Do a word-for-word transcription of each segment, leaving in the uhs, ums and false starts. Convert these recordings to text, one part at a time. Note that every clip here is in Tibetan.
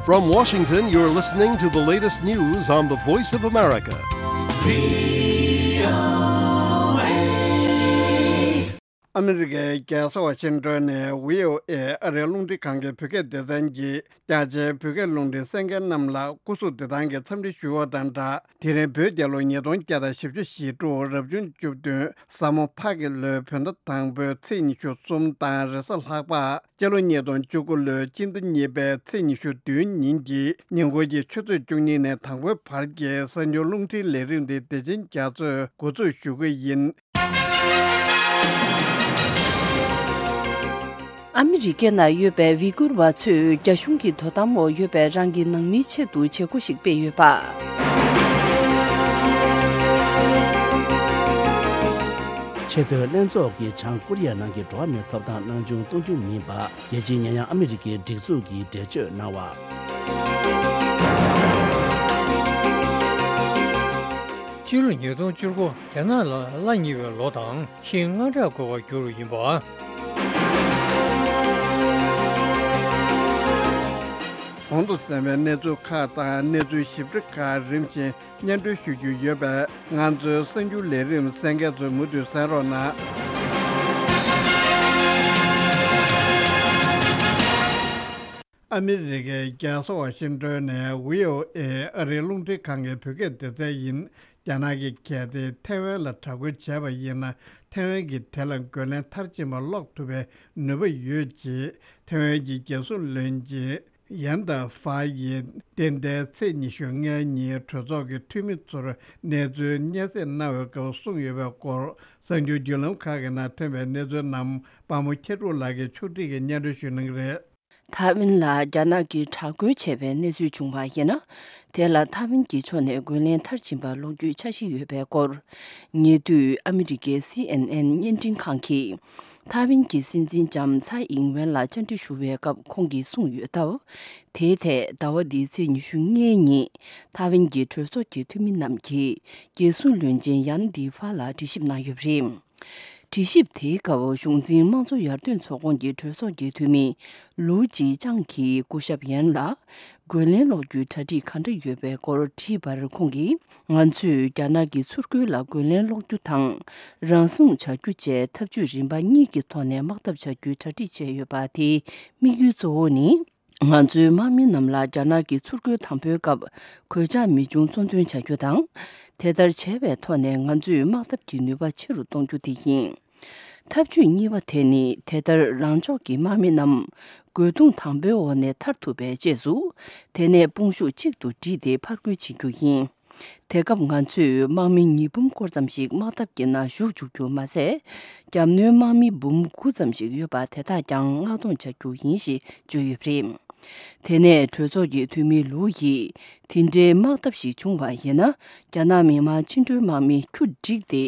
From Washington, you're listening to the latest news on the Voice of America. ཨ་མི་རི་ཀའི་རྒྱལ་ས་ཝ་ཤིང་ཏོན་ནས་བྷི་ཨོ་ཨེ་ཨ་རིའི་རླུང་འཕྲིན་ཁང་གི་བོད་སྐད་སྡེ་ཚན་གྱིས་རྒྱ་ཆེའི་བོད་སྐད་རླུང་འཕྲིན་གསན་མཁན་རྣམས་ལ་སྐུ་གཟུགས་བདེ་ཐང་གི་འཚམས་འདྲི་ཞུ་བ་དང་སྦྲགས། དེ་རིང་བོད་རྒྱལ་ལོ་ཉིས་སྟོང་བརྒྱ་དང་བཞི་བཅུ་ཞེ་དྲུག་རབ་བྱུང་བཅུ་བདུན་ཟ་མོ་ཕག་གི་ལོའི་བོད་ཟླ་དང་པོའི་ཚེས་ཉི་ཤུ་གསུམ་དང་རེས་གཟའ་ལྷག་པ། སྤྱི་ལོ་ཉིས་སྟོང་བཅུ་དགུ་ལོའི་སྤྱི་ཟླ་གཉིས་པའི་ཚེས་ཉི་ཤུ་བདུན་ཉིན་གྱི་ཉིན་གུང་གི་ཆུ་ཚོད་བཅུ་གཉིས་ནས་དང་པོའི་བར་གྱི་གསར་འགྱུར་རླུང་འཕྲིན་ལས་རིམ་འདི་བདེ་ཆེན་རྒྱ་མཚོས་འགོ་འཛུགས་ཞུ་གི་ཡིན། ཨ་མི་རི་ཀའི་ནང་ཡོད་པའི་ཝི་གུར་བ་ཚོས་རྒྱ་གཞུང་གི་དོ་དམ་འོག་ཡོད་པའི་རང་གི་ནང་མིའི་ཆེད་དུ་བྱེད་སྒོ་ཞིག་སྤེལ་ཡོད་པ། ཆེས་མཐོའི་ལྷན་ཚོགས་ཀྱིས་བྱང་ཀོ་རི་ཡ་ནང་གི་འགྲོ་བ་མིའི་ཐོབ་ཐང་རྣམ་བྱུང་གཏོང་རྒྱུ་མིན་པ། རྒྱལ་སྤྱིའི་ཉེ་ཡང་ཨ་མི་རི་ཀའི་སྒྲིག་འཛུགས་ཀྱིས་འགྲེལ་བརྗོད་གནང་བ། སྤྱི་ལོ་ཉིས་སྟོང་བཅུ་དགུ་རྒྱ་ནག་ལ་གླ་ཉེ་བའི་ལོ་དང་ཤིང་རྔ་སྦྲག་དགོས་པར་གྱུར་ཡིན་པ། གོང་དུ་གསན་པའི་གནས་ཚུལ་ཁག་དང་གནས་ཚུལ་ཞིབ་ཕྲ་ཁག་རིམ་བཞིན་སྙན་སྒྲོན་ཞུ་རྒྱུ་ཡོད་པས། ང་ཚོའི་གསར་འགྱུར་ལས་རིམ་གསན་མཁན་ཚོས་མུ་མཐུད་གསན་རོགས་གནང་། ཨ་མི་རི་ཀའི་རྒྱལ་ས་ཝ་ཤིང་ཏོན་ནས་བྷི་ཨོ་ཨེ་ཨ་རིའི་རླུང་འཕྲིན་ཁང་གི་བོད་སྐད་སྡེ་ཚན་ཡིན། རྒྱ་ནག་གི་གལ་ཏེ་ཐེ་ཝན་ལ་དྲག་རྒོལ་བྱས་པ་ཡིན་ན། ཐེ་ཝན་གྱིས་དེ་ལ་རྒོལ་ལན་མཐར་ཕྱིན་པ་སློག་ཐུབ་པའི་ནུས་པ་ཡོད་ཅེས་ཐེ་ཝན་གྱི་རྒྱལ་སྲུང་བློན་ཆེན་ཡན་ཏ་ཧྥ་ཡིས་འདི་ཟླའི་ཚེས་ཉི་ཤུ་ལྔའི་ཉིན་གྲོས་ཚོགས་ཀྱི་འཐུས་མི་ཚོར་གནས་ཚུལ་སྙན་སེང་གནང་བའི་སྐབས་གསུངས་ཡོད་པའི་སྐོར། གསར་འགྱུར་བརྒྱུད་ལམ་ཁག་གི་ནང་ཐོན་པའི་གནས་ཚུལ་རྣམས་པ་མོ་ཁྱེད་ཕྲུག་ལགས་ཀྱིས་ཕྱོགས་སྒྲིག་གིས་སྙན་སྒྲོན་ཞུ་གནང་གི་རེད། ཐའེ་ཝན་ལ་རྒྱ་ནག་གིས་དྲག་རྒོལ་བྱས་པའི་གནས་ཚུལ་བྱུང་བ་ཡིན་ན། དེ་ལ་ཐའེ་ཝན་གྱི་ཕྱོགས་ནས་རྒོལ་ལན་མཐར་ཕྱིན་པ་སློག་རྒྱུའི་འཆར་གཞི་ཡོད་པའི་སྐོར། ཉེ་དུས་ཨ་མི་རི་ཀའི་སི་ཨེན་ཨེན་བརྙན་འཕྲིན་ཁང་གིས། ཐའེ་ཝན་གྱི་སྲིད་འཛིན་ལྕམ་ཚའེ་ཨིང་ཝེན་ལ་བཅར་འདྲི་ཞུ་བའི་སྐབས་ཁོང་གིས་གསུངས་ཡོད་སྟབས། དེའི་ཐད་ཟླ་བ་འདིའི་ཚེས་ཉི་ཤུ་ལྔའི་ཉིན་ཐའེ་ཝན་གྱི་གྲོས་ཚོགས་ཀྱི་འཐུས་མི་རྣམས་ཀྱིས་རྒྱལ་སྲུང་བློན་ཆེན་ཡན་ཏི་ཧྥ་ལ་དྲི་ཞིབ་གནང་ཡོད་པ་རེད། དྲི་ཞིབ་དེའི་སྐབས་གཞུང་འཛིན་དམངས་གཙོ་ཡར་ཐོན་ཚོགས་ཁོངས་ཀྱི་གྲོས་ཚོགས་ཀྱི་འཐུས་མི་ལུའུ་ཅི་ཅང་གིས་སྐུ་ཞབས་ཡན་ལ་རྒོལ་ལན་སློག་རྒྱུའི་གྲ་སྒྲིག་ག་འདྲ་ཡོད་པའི་སྐོར་དྲིས་པར་ཁོང་གིས། ང་ཚོས་རྒྱ་ནག་གི་ཚུར་རྒོལ་ལ་རྒོལ་ལན་སློག་རྒྱུ་དང་། རང་སྲུང་བྱ་རྒྱུ་བཅས་ཐབས་ཇུས་རིམ་པ་གཉིས་ཀྱི་ཐོག་ནས་དམག་འཐབ་བྱ་རྒྱུའི་གྲ་སྒྲིག་བྱས་ཡོད་པ། དེའི་དམིགས་ཡུལ་གཙོ་བོ་ནི། ང་ཚོའི་དམག་མི་རྣམས་ལ་རྒྱ་ནག་གི་ཚུར་རྒོལ་དང་པོའི་སྐབས་གོད་ཆག་མི་འབྱུང་གཙོ་འདོན་བྱ་རྒྱུ་དང་། དེ་ལྟར་བྱས་པའི་ཐོག་ནས་ང་ཚོས་དམག་འཐབ་ཀྱི་ནུས་པ་ཆེ་རུ་གཏོང་རྒྱུ་དེ་ཡིན། ཐབས་ཇུས་གཉིས་པ་དེ་ནི་དེ་ལྟར་རང་ཕྱོགས་ཀྱི་དམག་མི་རྣམས་རྒོལ་རྡུང་དང་པོའི་འོག་ནས་ཐར་ཐུབ་པའི་རྗེས་སུ། དེ་ནས་དཔུང་ཤུགས་གཅིག་ཏུ་བསྒྲིལ་ཏེ་ཕར་རྒོལ་བྱེད་རྒྱུ་ཡིན། དེ་སྐབས་ང་ཚོས་དམག་མི་ཉིས་འབུམ་སྐོར་ཙམ་ཞིག་དམག་འཐབ་ཀྱི་ནང་ཞུགས་བཅུག་རྒྱུ་མ་ཟད། རྒྱབ་གནོན་དམག་མི་འབུམ་དགུ་ཙམ་ཞིག་ཡོད་པ་དེ་དག་ཀྱང་མངགས་གཏོང་བྱ་རྒྱུ་ཡིན་ཞེས་བརྗོད་ཡོད་པ་རེད། དེ་ནས་གྲོས་ཚོགས་ཀྱི་འཐུས་མི་ལུའུ་ཡིས། དེ་འདྲའི་དམག་འཐབ་ཞིག་བྱུང་བ་ཡིན་ན། རྒྱ་ནག་མི་དམངས་བཅིངས་འགྲོལ་དམག་མི་ཁྱུ་བསྒྲིགས་ཏེ།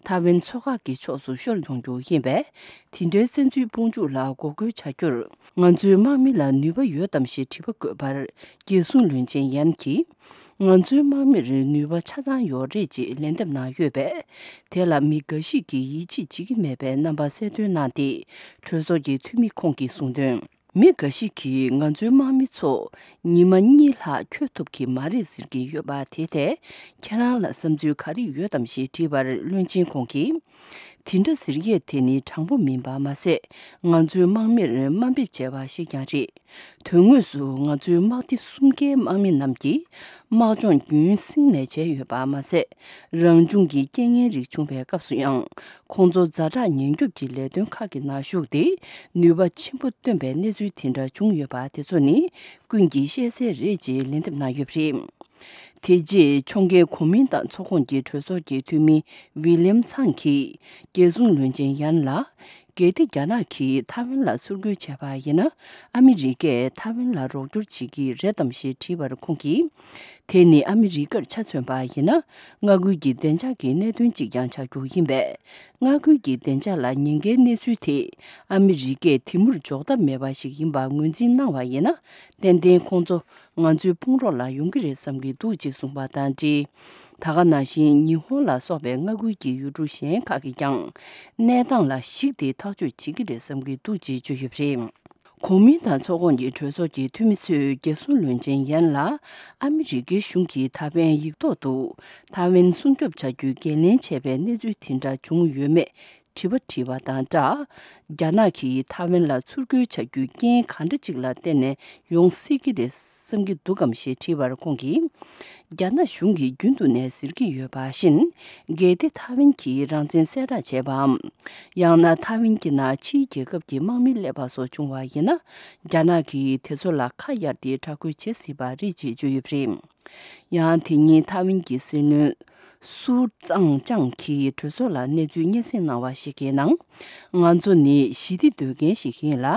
ཐའེ་ཝན་མཚོ་འགག་གི་ཕྱོགས་སུ་ཤོར་ཡོང་རྒྱུ་ཡིན་པས། དེ་འདྲའི་བཙན་འཛུལ་དཔུང་འཇུག་ལ་འགོག་རྒོལ་བྱ་རྒྱུར། ང་ཚོའི་དམག་མི་ལ་ནུས་པ་ཡོད་དམ་ཞེས་དྲི་བ་བཀོད་པར། རྒྱལ་སྲུང་བློན་ཆེན་ཡན་གྱིས། ང་ཚོའི་དམག་མིར་ནུས་པ་ཆ་ཚང་ཡོད་རེད་ཅེས་ལན་འདེབས་གནང་ཡོད་པས། དེ་ལ་མི་འགའ་ཞིག་གིས་ཡིད་ཆེས་བྱེད་ཀྱི་མེད་པའི་རྣམ་པ་གསལ་སྟོན་གནང་སྟེ། གྲོས་ཚོགས་ཀྱི་འཐུས་མི་ཁོང་གིས་གསུངས་དོན། མི་འགའ་ཞིག་གིས་ང་ཚོའི་དམག་མི་ཚོ་ཉི་མ་གཉིས་ལྷག་འཁྱོལ་ཐུབ་ཀྱི་མ་རེད་ཟེར་གྱི་ཡོད་པ་དེ་ཐད་ཁྱེད་རང་ལ་བསམ་ཚུལ་ག་རེ་ཡོད་དམ་ཞེས་དྲིས་པར་བློན་ཆེན་ཁོང་གིས། དེ་འདྲ་ཟེར་ཡས་དེ་ནི་དྲང་པོ་མིན་པ་མ་ཟད། ང་ཚོའི་དམག་མིར་དམའ་འབེབས་བྱས་པ་ཞིག་ཀྱང་རེད། དོན་དངོས་སུ་ང་ཚོའི་དམག་སྡེ་གསུམ་ཀའི་དམག་མི་རྣམས་ཀྱིས་དམག་སྦྱོང་རྒྱུན་བསྲིངས་ནས་བྱས་ཡོད་པ་མ་ཟད། རང་བྱུང་གི་རྐྱེན་ངན་རིགས་བྱུང་བའི་སྐབས་སུ་ཡང་ཁོང་ཚོ་ཛ་དྲག་ཉེན་སྐྱོབ་ཀྱི་ལས་དོན་ཁག་གི་ནང་ཞུགས་ཏེ་ནུས་པ་ཆེན་པོ་བཏོན་པའི་གནས་ཚུལ་དེ་འདྲ་བྱུང་ཡོད་པ་དེ་ཚོ་ནི་ཀུན་གྱིས་ཤེས་གསལ་རེད་ཅེས་ལན་འདེབས་གནང་ཡོད་པ་རེད། དེ་རྗེས་ཕྱོགས་འགལ་གོ་མིན་ཏང་ཚོགས་ཁོངས་ཀྱི་གྲོས་ཚོགས་ཀྱི་འཐུས་མི་ཝི་ལིམ་ཚང་གིས་རྒྱལ་སྲུང་བློན་ཆེན་ཡན་ལ། གལ་ཏེ་རྒྱ་ནག་གིས་ཐའེ་ཝན་ལ་ཚུར་རྒོལ་བྱས་པ་ཡིན་ན། ཨ་མི་རི་ཀས་ཐའེ་ཝན་ལ་རོགས་སྐྱོར་བྱེད་ཀྱི་རེད་དམ་ཞེས་དྲིས་པར་ཁོང་གིས། དེ་ནི་ཨ་མི་རི་ཀར་ཆ་མཚོན་པ་ཡིན་ན། མངའ་ཁུལ་གྱི་བདེ་འཇགས་ཀྱི་གནད་དོན་གཅིག་ཀྱང་ཆགས་རྒྱུ་ཡིན་པས། མངའ་ཁུལ་གྱི་བདེ་འཇགས་ལ་ཉེན་ཁའི་གནས་ཚུལ་དེ་ཨ་མི་རི་ཀས་དེ་མུར་འཇོག་ཐབས་མེད་པ་ཞིག་ཡིན་པ་ངོས་འཛིན་གནང་བ་ཡིན་ན། ཏན་ཏན་ཁོང་ཚོ་ང་ཚོའི་དཔུང་རོགས་ལ་ཡོང་གི་རེད་བསམ་གྱི་འདུག་ཅེས་གསུངས་པ་དང་འབྲེལ། ད་ག་ནང་བཞིན་ཉི་ཧོང་ལ་སོགས་པའི་མངའ་ཁུལ་གྱི་ཡུལ་གྲུ་གཞན་ཁག་གིས་ཀྱང་གནས་སྟངས་ལ་གཞིགས་ཏེ་ཐག་གཅོད་བྱེད་ཀྱི་རེད་བསམ་གྱི་འདུག་ཅེས་བརྗོད་ཡོད་པ་རེད། གོ་མིན་ཏང་ཚོགས་ཁོངས་ཀྱི་གྲོས་ཚོགས་ཀྱི་འཐུས་མི་ཚོས་རྒྱལ་སྲུང་བློན་ཆེན་ཡན་ལ་ཨ་མི་རི་ཀའི་གཞུང་གིས་ད་ཕན་ཡིག་ཐོག་ཏུ་ཐའེ་ཝན་སྲུང་སྐྱོབ་བྱ་རྒྱུའི་འགན་ལེན་བྱས་པའི་གནས་ཚུལ་དེ་འདྲ་བྱུང་ཡོད་མེད་དྲི་བ་དྲིས་པ་དང་སྦྲགས། རྒྱ་ནག་གིས་ཐའེ་ཝན་ལ་ཚུར་རྒོལ་བྱ་རྒྱུའི་རྐྱེན་གང་འདྲ་ཅིག་ལ་བརྟེན་ནས་ཡོང་སྲིད་ཀྱི་རེད་བསམ་གྱི་འདུག་གམ་ཞེས་དྲིས་པར་ཁོང་གིས། རྒྱ་ནག་གཞུང་གིས་རྒྱུན་དུ་ནས་ཟེར་གྱི་ཡོད་པ་བཞིན། གལ་ཏེ་ཐའེ་ཝན་གྱིས་རང་བཙན་གསལ་བསྒྲགས་བྱས་པའམ། ཡང་ན་ཐའེ་ཝན་གྱི་ནང་ཕྱིའི་རྒྱལ་ཁབ་ཀྱི་དམག་མི་སླེབས་པ་སོགས་བྱུང་བ་ཡིན་ན། རྒྱ་ནག་གིས་དེ་ཚོ་ལ་ཁ་གཡར་ཏེ་དྲག་རྒོལ་བྱེད་སྲིད་པ་རེད་ཅེས་བརྗོད་ཡོད་པ་རེད། ཡང་དེ་ཉིན་ཐའེ་ཝན་གྱི་སྲིད་བློན་སུའུ་ཙང་ཅང་གིས་གྲོས་ཚོགས་ལ་གནས་ཚུལ་སྙན་སེང་གནང་བ་ཞིག་གི་ནང་། ང་ཚོ་ནི་ཞི་བདེ་འདོད་མཁན་ཞིག་ཡིན་ལ།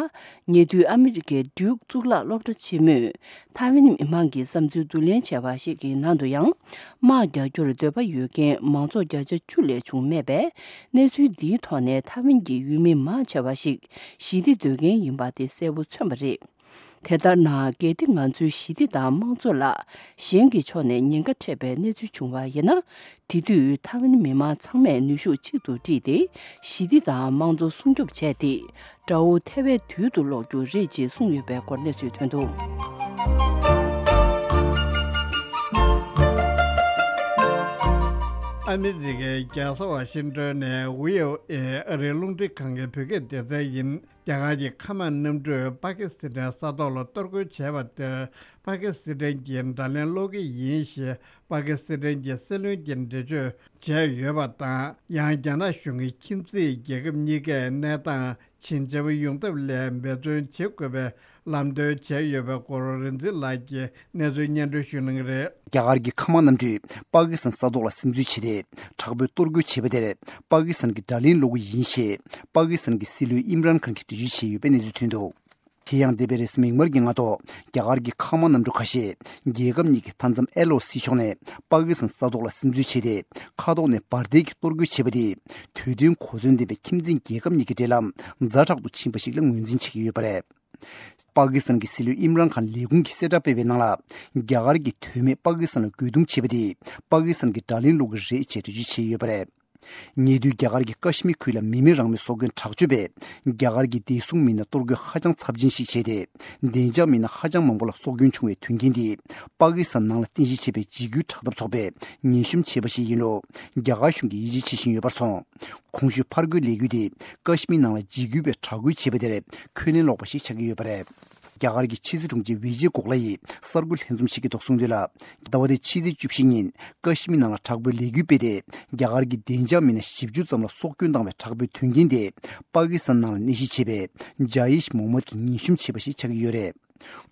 ཉེ་དུས་ཨ་མི་རི་ཀའི་ཌིའུག་གཙུག་ལག་སློབ་གྲྭ་ཆེན་མོས་ཐའེ་ཝན་མི་མང་གི་བསམ་ཚུལ་བསྡུ་ལེན་བྱས་པ་ཞིག་གི་ནང་དུ་ཡང་། དམག་རྒྱག་རྒྱུར་འདོད་པ་ཡོད་མཁན་མང་ཚོགས་བརྒྱ་ཆ་བཅུ་ལས་བྱུང་མེད་པས། གནས་ཚུལ་འདིའི་ཐོག་ནས་ཐའེ་ཝན་གྱི་ཡུལ་མི་མང་ཆེ་བ་ཞིག་ཞི་བདེ་འདོད་མཁན་ཡིན་པ་དེ་གསལ་པོ་མཚོན་པ་རེད། དེ་ལྟར་ན། གལ་ཏེ་ང་ཚོའི་ཞི་བདེ་དང་དམངས་གཙོ་ལ་གཞན་གྱི་ཕྱོགས་ནས་ཉེན་ཁ་འཕྲད་པའི་གནས་ཚུལ་བྱུང་བ་ཡིན་ན། དེ་དུས་ཐའེ་ཝན་མི་མང་ཚང་མས་ནུས་ཤུགས་གཅིག་ཏུ་བསྒྲིལ་ཏེ། ཞི་བདེ་དང་དམངས་གཙོ་སྲུང་སྐྱོབ་བྱས་ཏེ། དགྲ་བོ་ཐལ་བའི་དུས་སུ་སློག་རྒྱུ་རེད་ཅེས་གསུངས་ཡོད་པའི་སྐོར་གནས་ཚུལ་ཐོན་འདུག་ཨ་མི་རི་ཀའི་རྒྱལ་ས་ཝ་ཤིང་ཏོན་ནས་བྷི་ཨོ་ཨེ་ཨ་རིའི་རླུང་འཕྲིན་ཁང་གི་བོད་སྐད་སྡེ་ཚན་ཡིན། རྒྱ་གར་གྱི་མཁའ་དམག་གནམ་གྲུས་པ་ཀི་སི་ཐན་ས་ཐོག་ལ་གཏོར་རྒོལ་བྱས་པ་དེར། པ་ཀི་སི་ཐན་གྱིས་དགྲ་ལན་སློག་གི་ཡིན་ཞེས་པ་ཀི་སི་ཐན་གྱི་སྲིད་བློན་གྱིས་འགྲེལ་བརྗོད་བྱས་ཡོད་པ་དང་། ཡང་རྒྱ་ནག་གཞུང་གིས་ཁྱིམ་མཚེས་རྒྱལ་ཁབ་གཉིས་ཀས་གནས་སྟངས་ཇེ་འཇམ་ཡོང་ཐབས་སླད་འབད་བརྩོན་བྱེད་དགོས་པའི་ལམ་སྟོན་བྱས་ཡོད་པའི་སྐོར། རིག་འཛིན་ལགས་ཀྱིས་གནས་ཚུལ་སྙན་སྒྲོན་ཞུ་གནང་གི་རེད། རྒྱ་གར་གྱི་མཁའ་དམག་གནམ་གྲུས་པ་ཀི་སི་ཐན་ས་ཐོག་ལ་སིམ་འཛུལ་བྱས་ཏེ། དྲག་པོའི་གཏོར་རྒོལ་བྱས་པ་དེར་པ་ཀི་སི་ཐན་གྱིས་དགྲ་ལན་སློག་གི་ཡིན་ཞེས་པ་ཀི་སི་ཐན་གྱི་སྲིད་བློན་ཨིམ་རཱན་ཁཱན་གྱིས་འགྲེལ་བརྗོད་བྱས་ཡོད་པའི་གནས་ཚུལ་ཐོན་འདུག་དེ་ཡང་འདས་པའི་རེས་གཟའ་མིག་དམར་གྱི་སྔ་ཐོག་རྒྱ་གར་གྱི་མཁའ་དམག་གནམ་གྲུ་ཁ་ཤས་རྒྱལ་ཁབ་གཉིས་ཀྱི་མཐའ་མཚམས་ཨེལ་ཨོ་སི་ཕྱོགས་ནས་པ་ཀི་སི་ཐན་ས་ཐོག་ལ་སིམ་འཛུལ་བྱས་ཏེ། མཁའ་ཐོག་ནས་འབར་མདེལ་གྱིས་གཏོར་རྒོལ་བྱས་པ་དེས་དུས་དྲན་གོ་མཚོན་ལྡན་པའི་ཁྱིམ་མཚེས་རྒྱལ་ཁབ་གཉིས་ཀྱི་འབྲེལ་ལམ་ཛ་དྲག་ཏུ་ཕྱིན་པ་ཞིག་ལ་ངོས་འཛིན་བྱེད་ཀྱི་ཡོད་པ་རེད། པ་ཀི་སི་ཐན་གྱི་སྲིད་བློན་ཨིམ་རཱན་ཁཱན་ལས་ཁུངས་ཀྱིས་གསལ་བསྒྲགས་སྤེལ་བའི་ནང་ལ། རྒྱ་གར་གྱིས་དོན་མེད་པ་ཀི་སི་ཐན་ལ་རྒོལ་རྡུང་བྱས་པ་དེས་པ་ཀི་སི་ཐན་གྱིས་དགྲ་ལན་སློག་གི་རེད་ཅེས་འགྲེལ་བརྗོད་བྱས་ཡོད་པ་རེད། ཉེ་དུས་རྒྱ་གར་གྱི་ཀ་ཤི་མིར་ཁུལ་ལ་མི་མིན་རང་མོས་སྲོག་སྐྱོན་དྲག་སྤྱོད་པས་རྒྱ་གར་གྱི་བདེ་སྲུང་མི་སྣར་གཏོར་རྒོལ་ཧ་ཅང་ཚབས་ཆེན་ཞིག་བྱས་ཏེ། བདེ་འཇགས་མི་སྣ་ཧ་ཅང་མང་པོ་ལ་སྲོག་སྐྱོན་བྱུང་བའི་དོན་རྐྱེན་འདིས་པ་ཀི་སི་ཐན་ནང་ལ་རྟེན་གཞི་བྱས་པའི་འཇིགས་སྐུལ་དྲག་འཐབ་ཚོགས་པས་ངན་ཤོམ་བྱས་པ་ཞིག་ཡིན་ལུགས་རྒྱ་གར་གཞུང་གིས་ཡིད་ཆེས་བྱེད་བཞིན་ཡོད་པར་སོང་། གོང་ཞུས་ཕར་རྒོལ་ལས་འགུལ་དེ་ཀ་ཤི་མིར་ནང་ལ་འཇིགས་སྐུལ་བས་དྲག་རྒོལ་བྱས་པ་དེར་འཁོན་ལན་སློག་པ་ཞིག་ཆགས་ཀྱི་ཡོད་པ་རེད། རྒྱ་གར་གྱི་ཕྱི་སྲིད་དྲུང་ཆེ་བི་ཇེ་གོག་ལ་ཡིས་གསར་འགོད་ལྷན་འཛོམས་ཤིག་གི་ཐོག་གསུངས་དོན་ལ། ཟླ་བ་འདིའི་ཕྱི་ཚེས་བཅུ་བཞི་ཉིན་ཀ་ཤི་མིར་ནང་ལ་དྲག་པོའི་ལས་འགུལ་སྤེལ་ཏེ། རྒྱ་གར་གྱི་བདེ་འཇགས་མི་སྣ་བཞི་བཅུ་ཙམ་ལ་སྲོག་སྐྱོན་བཏང་བའི་དྲག་པོའི་དོན་རྐྱེན་དེ་པ་ཀི་སི་ཐན་ནང་ལ་གནས་གཞི་བྱས་པའི་ཇ་ཡིཤ་མོ་མད་ཀྱིས་ངན་ཤོམ་བྱས་པ་ཞིག་ཆགས་ཀྱི་ཡོད་རེད།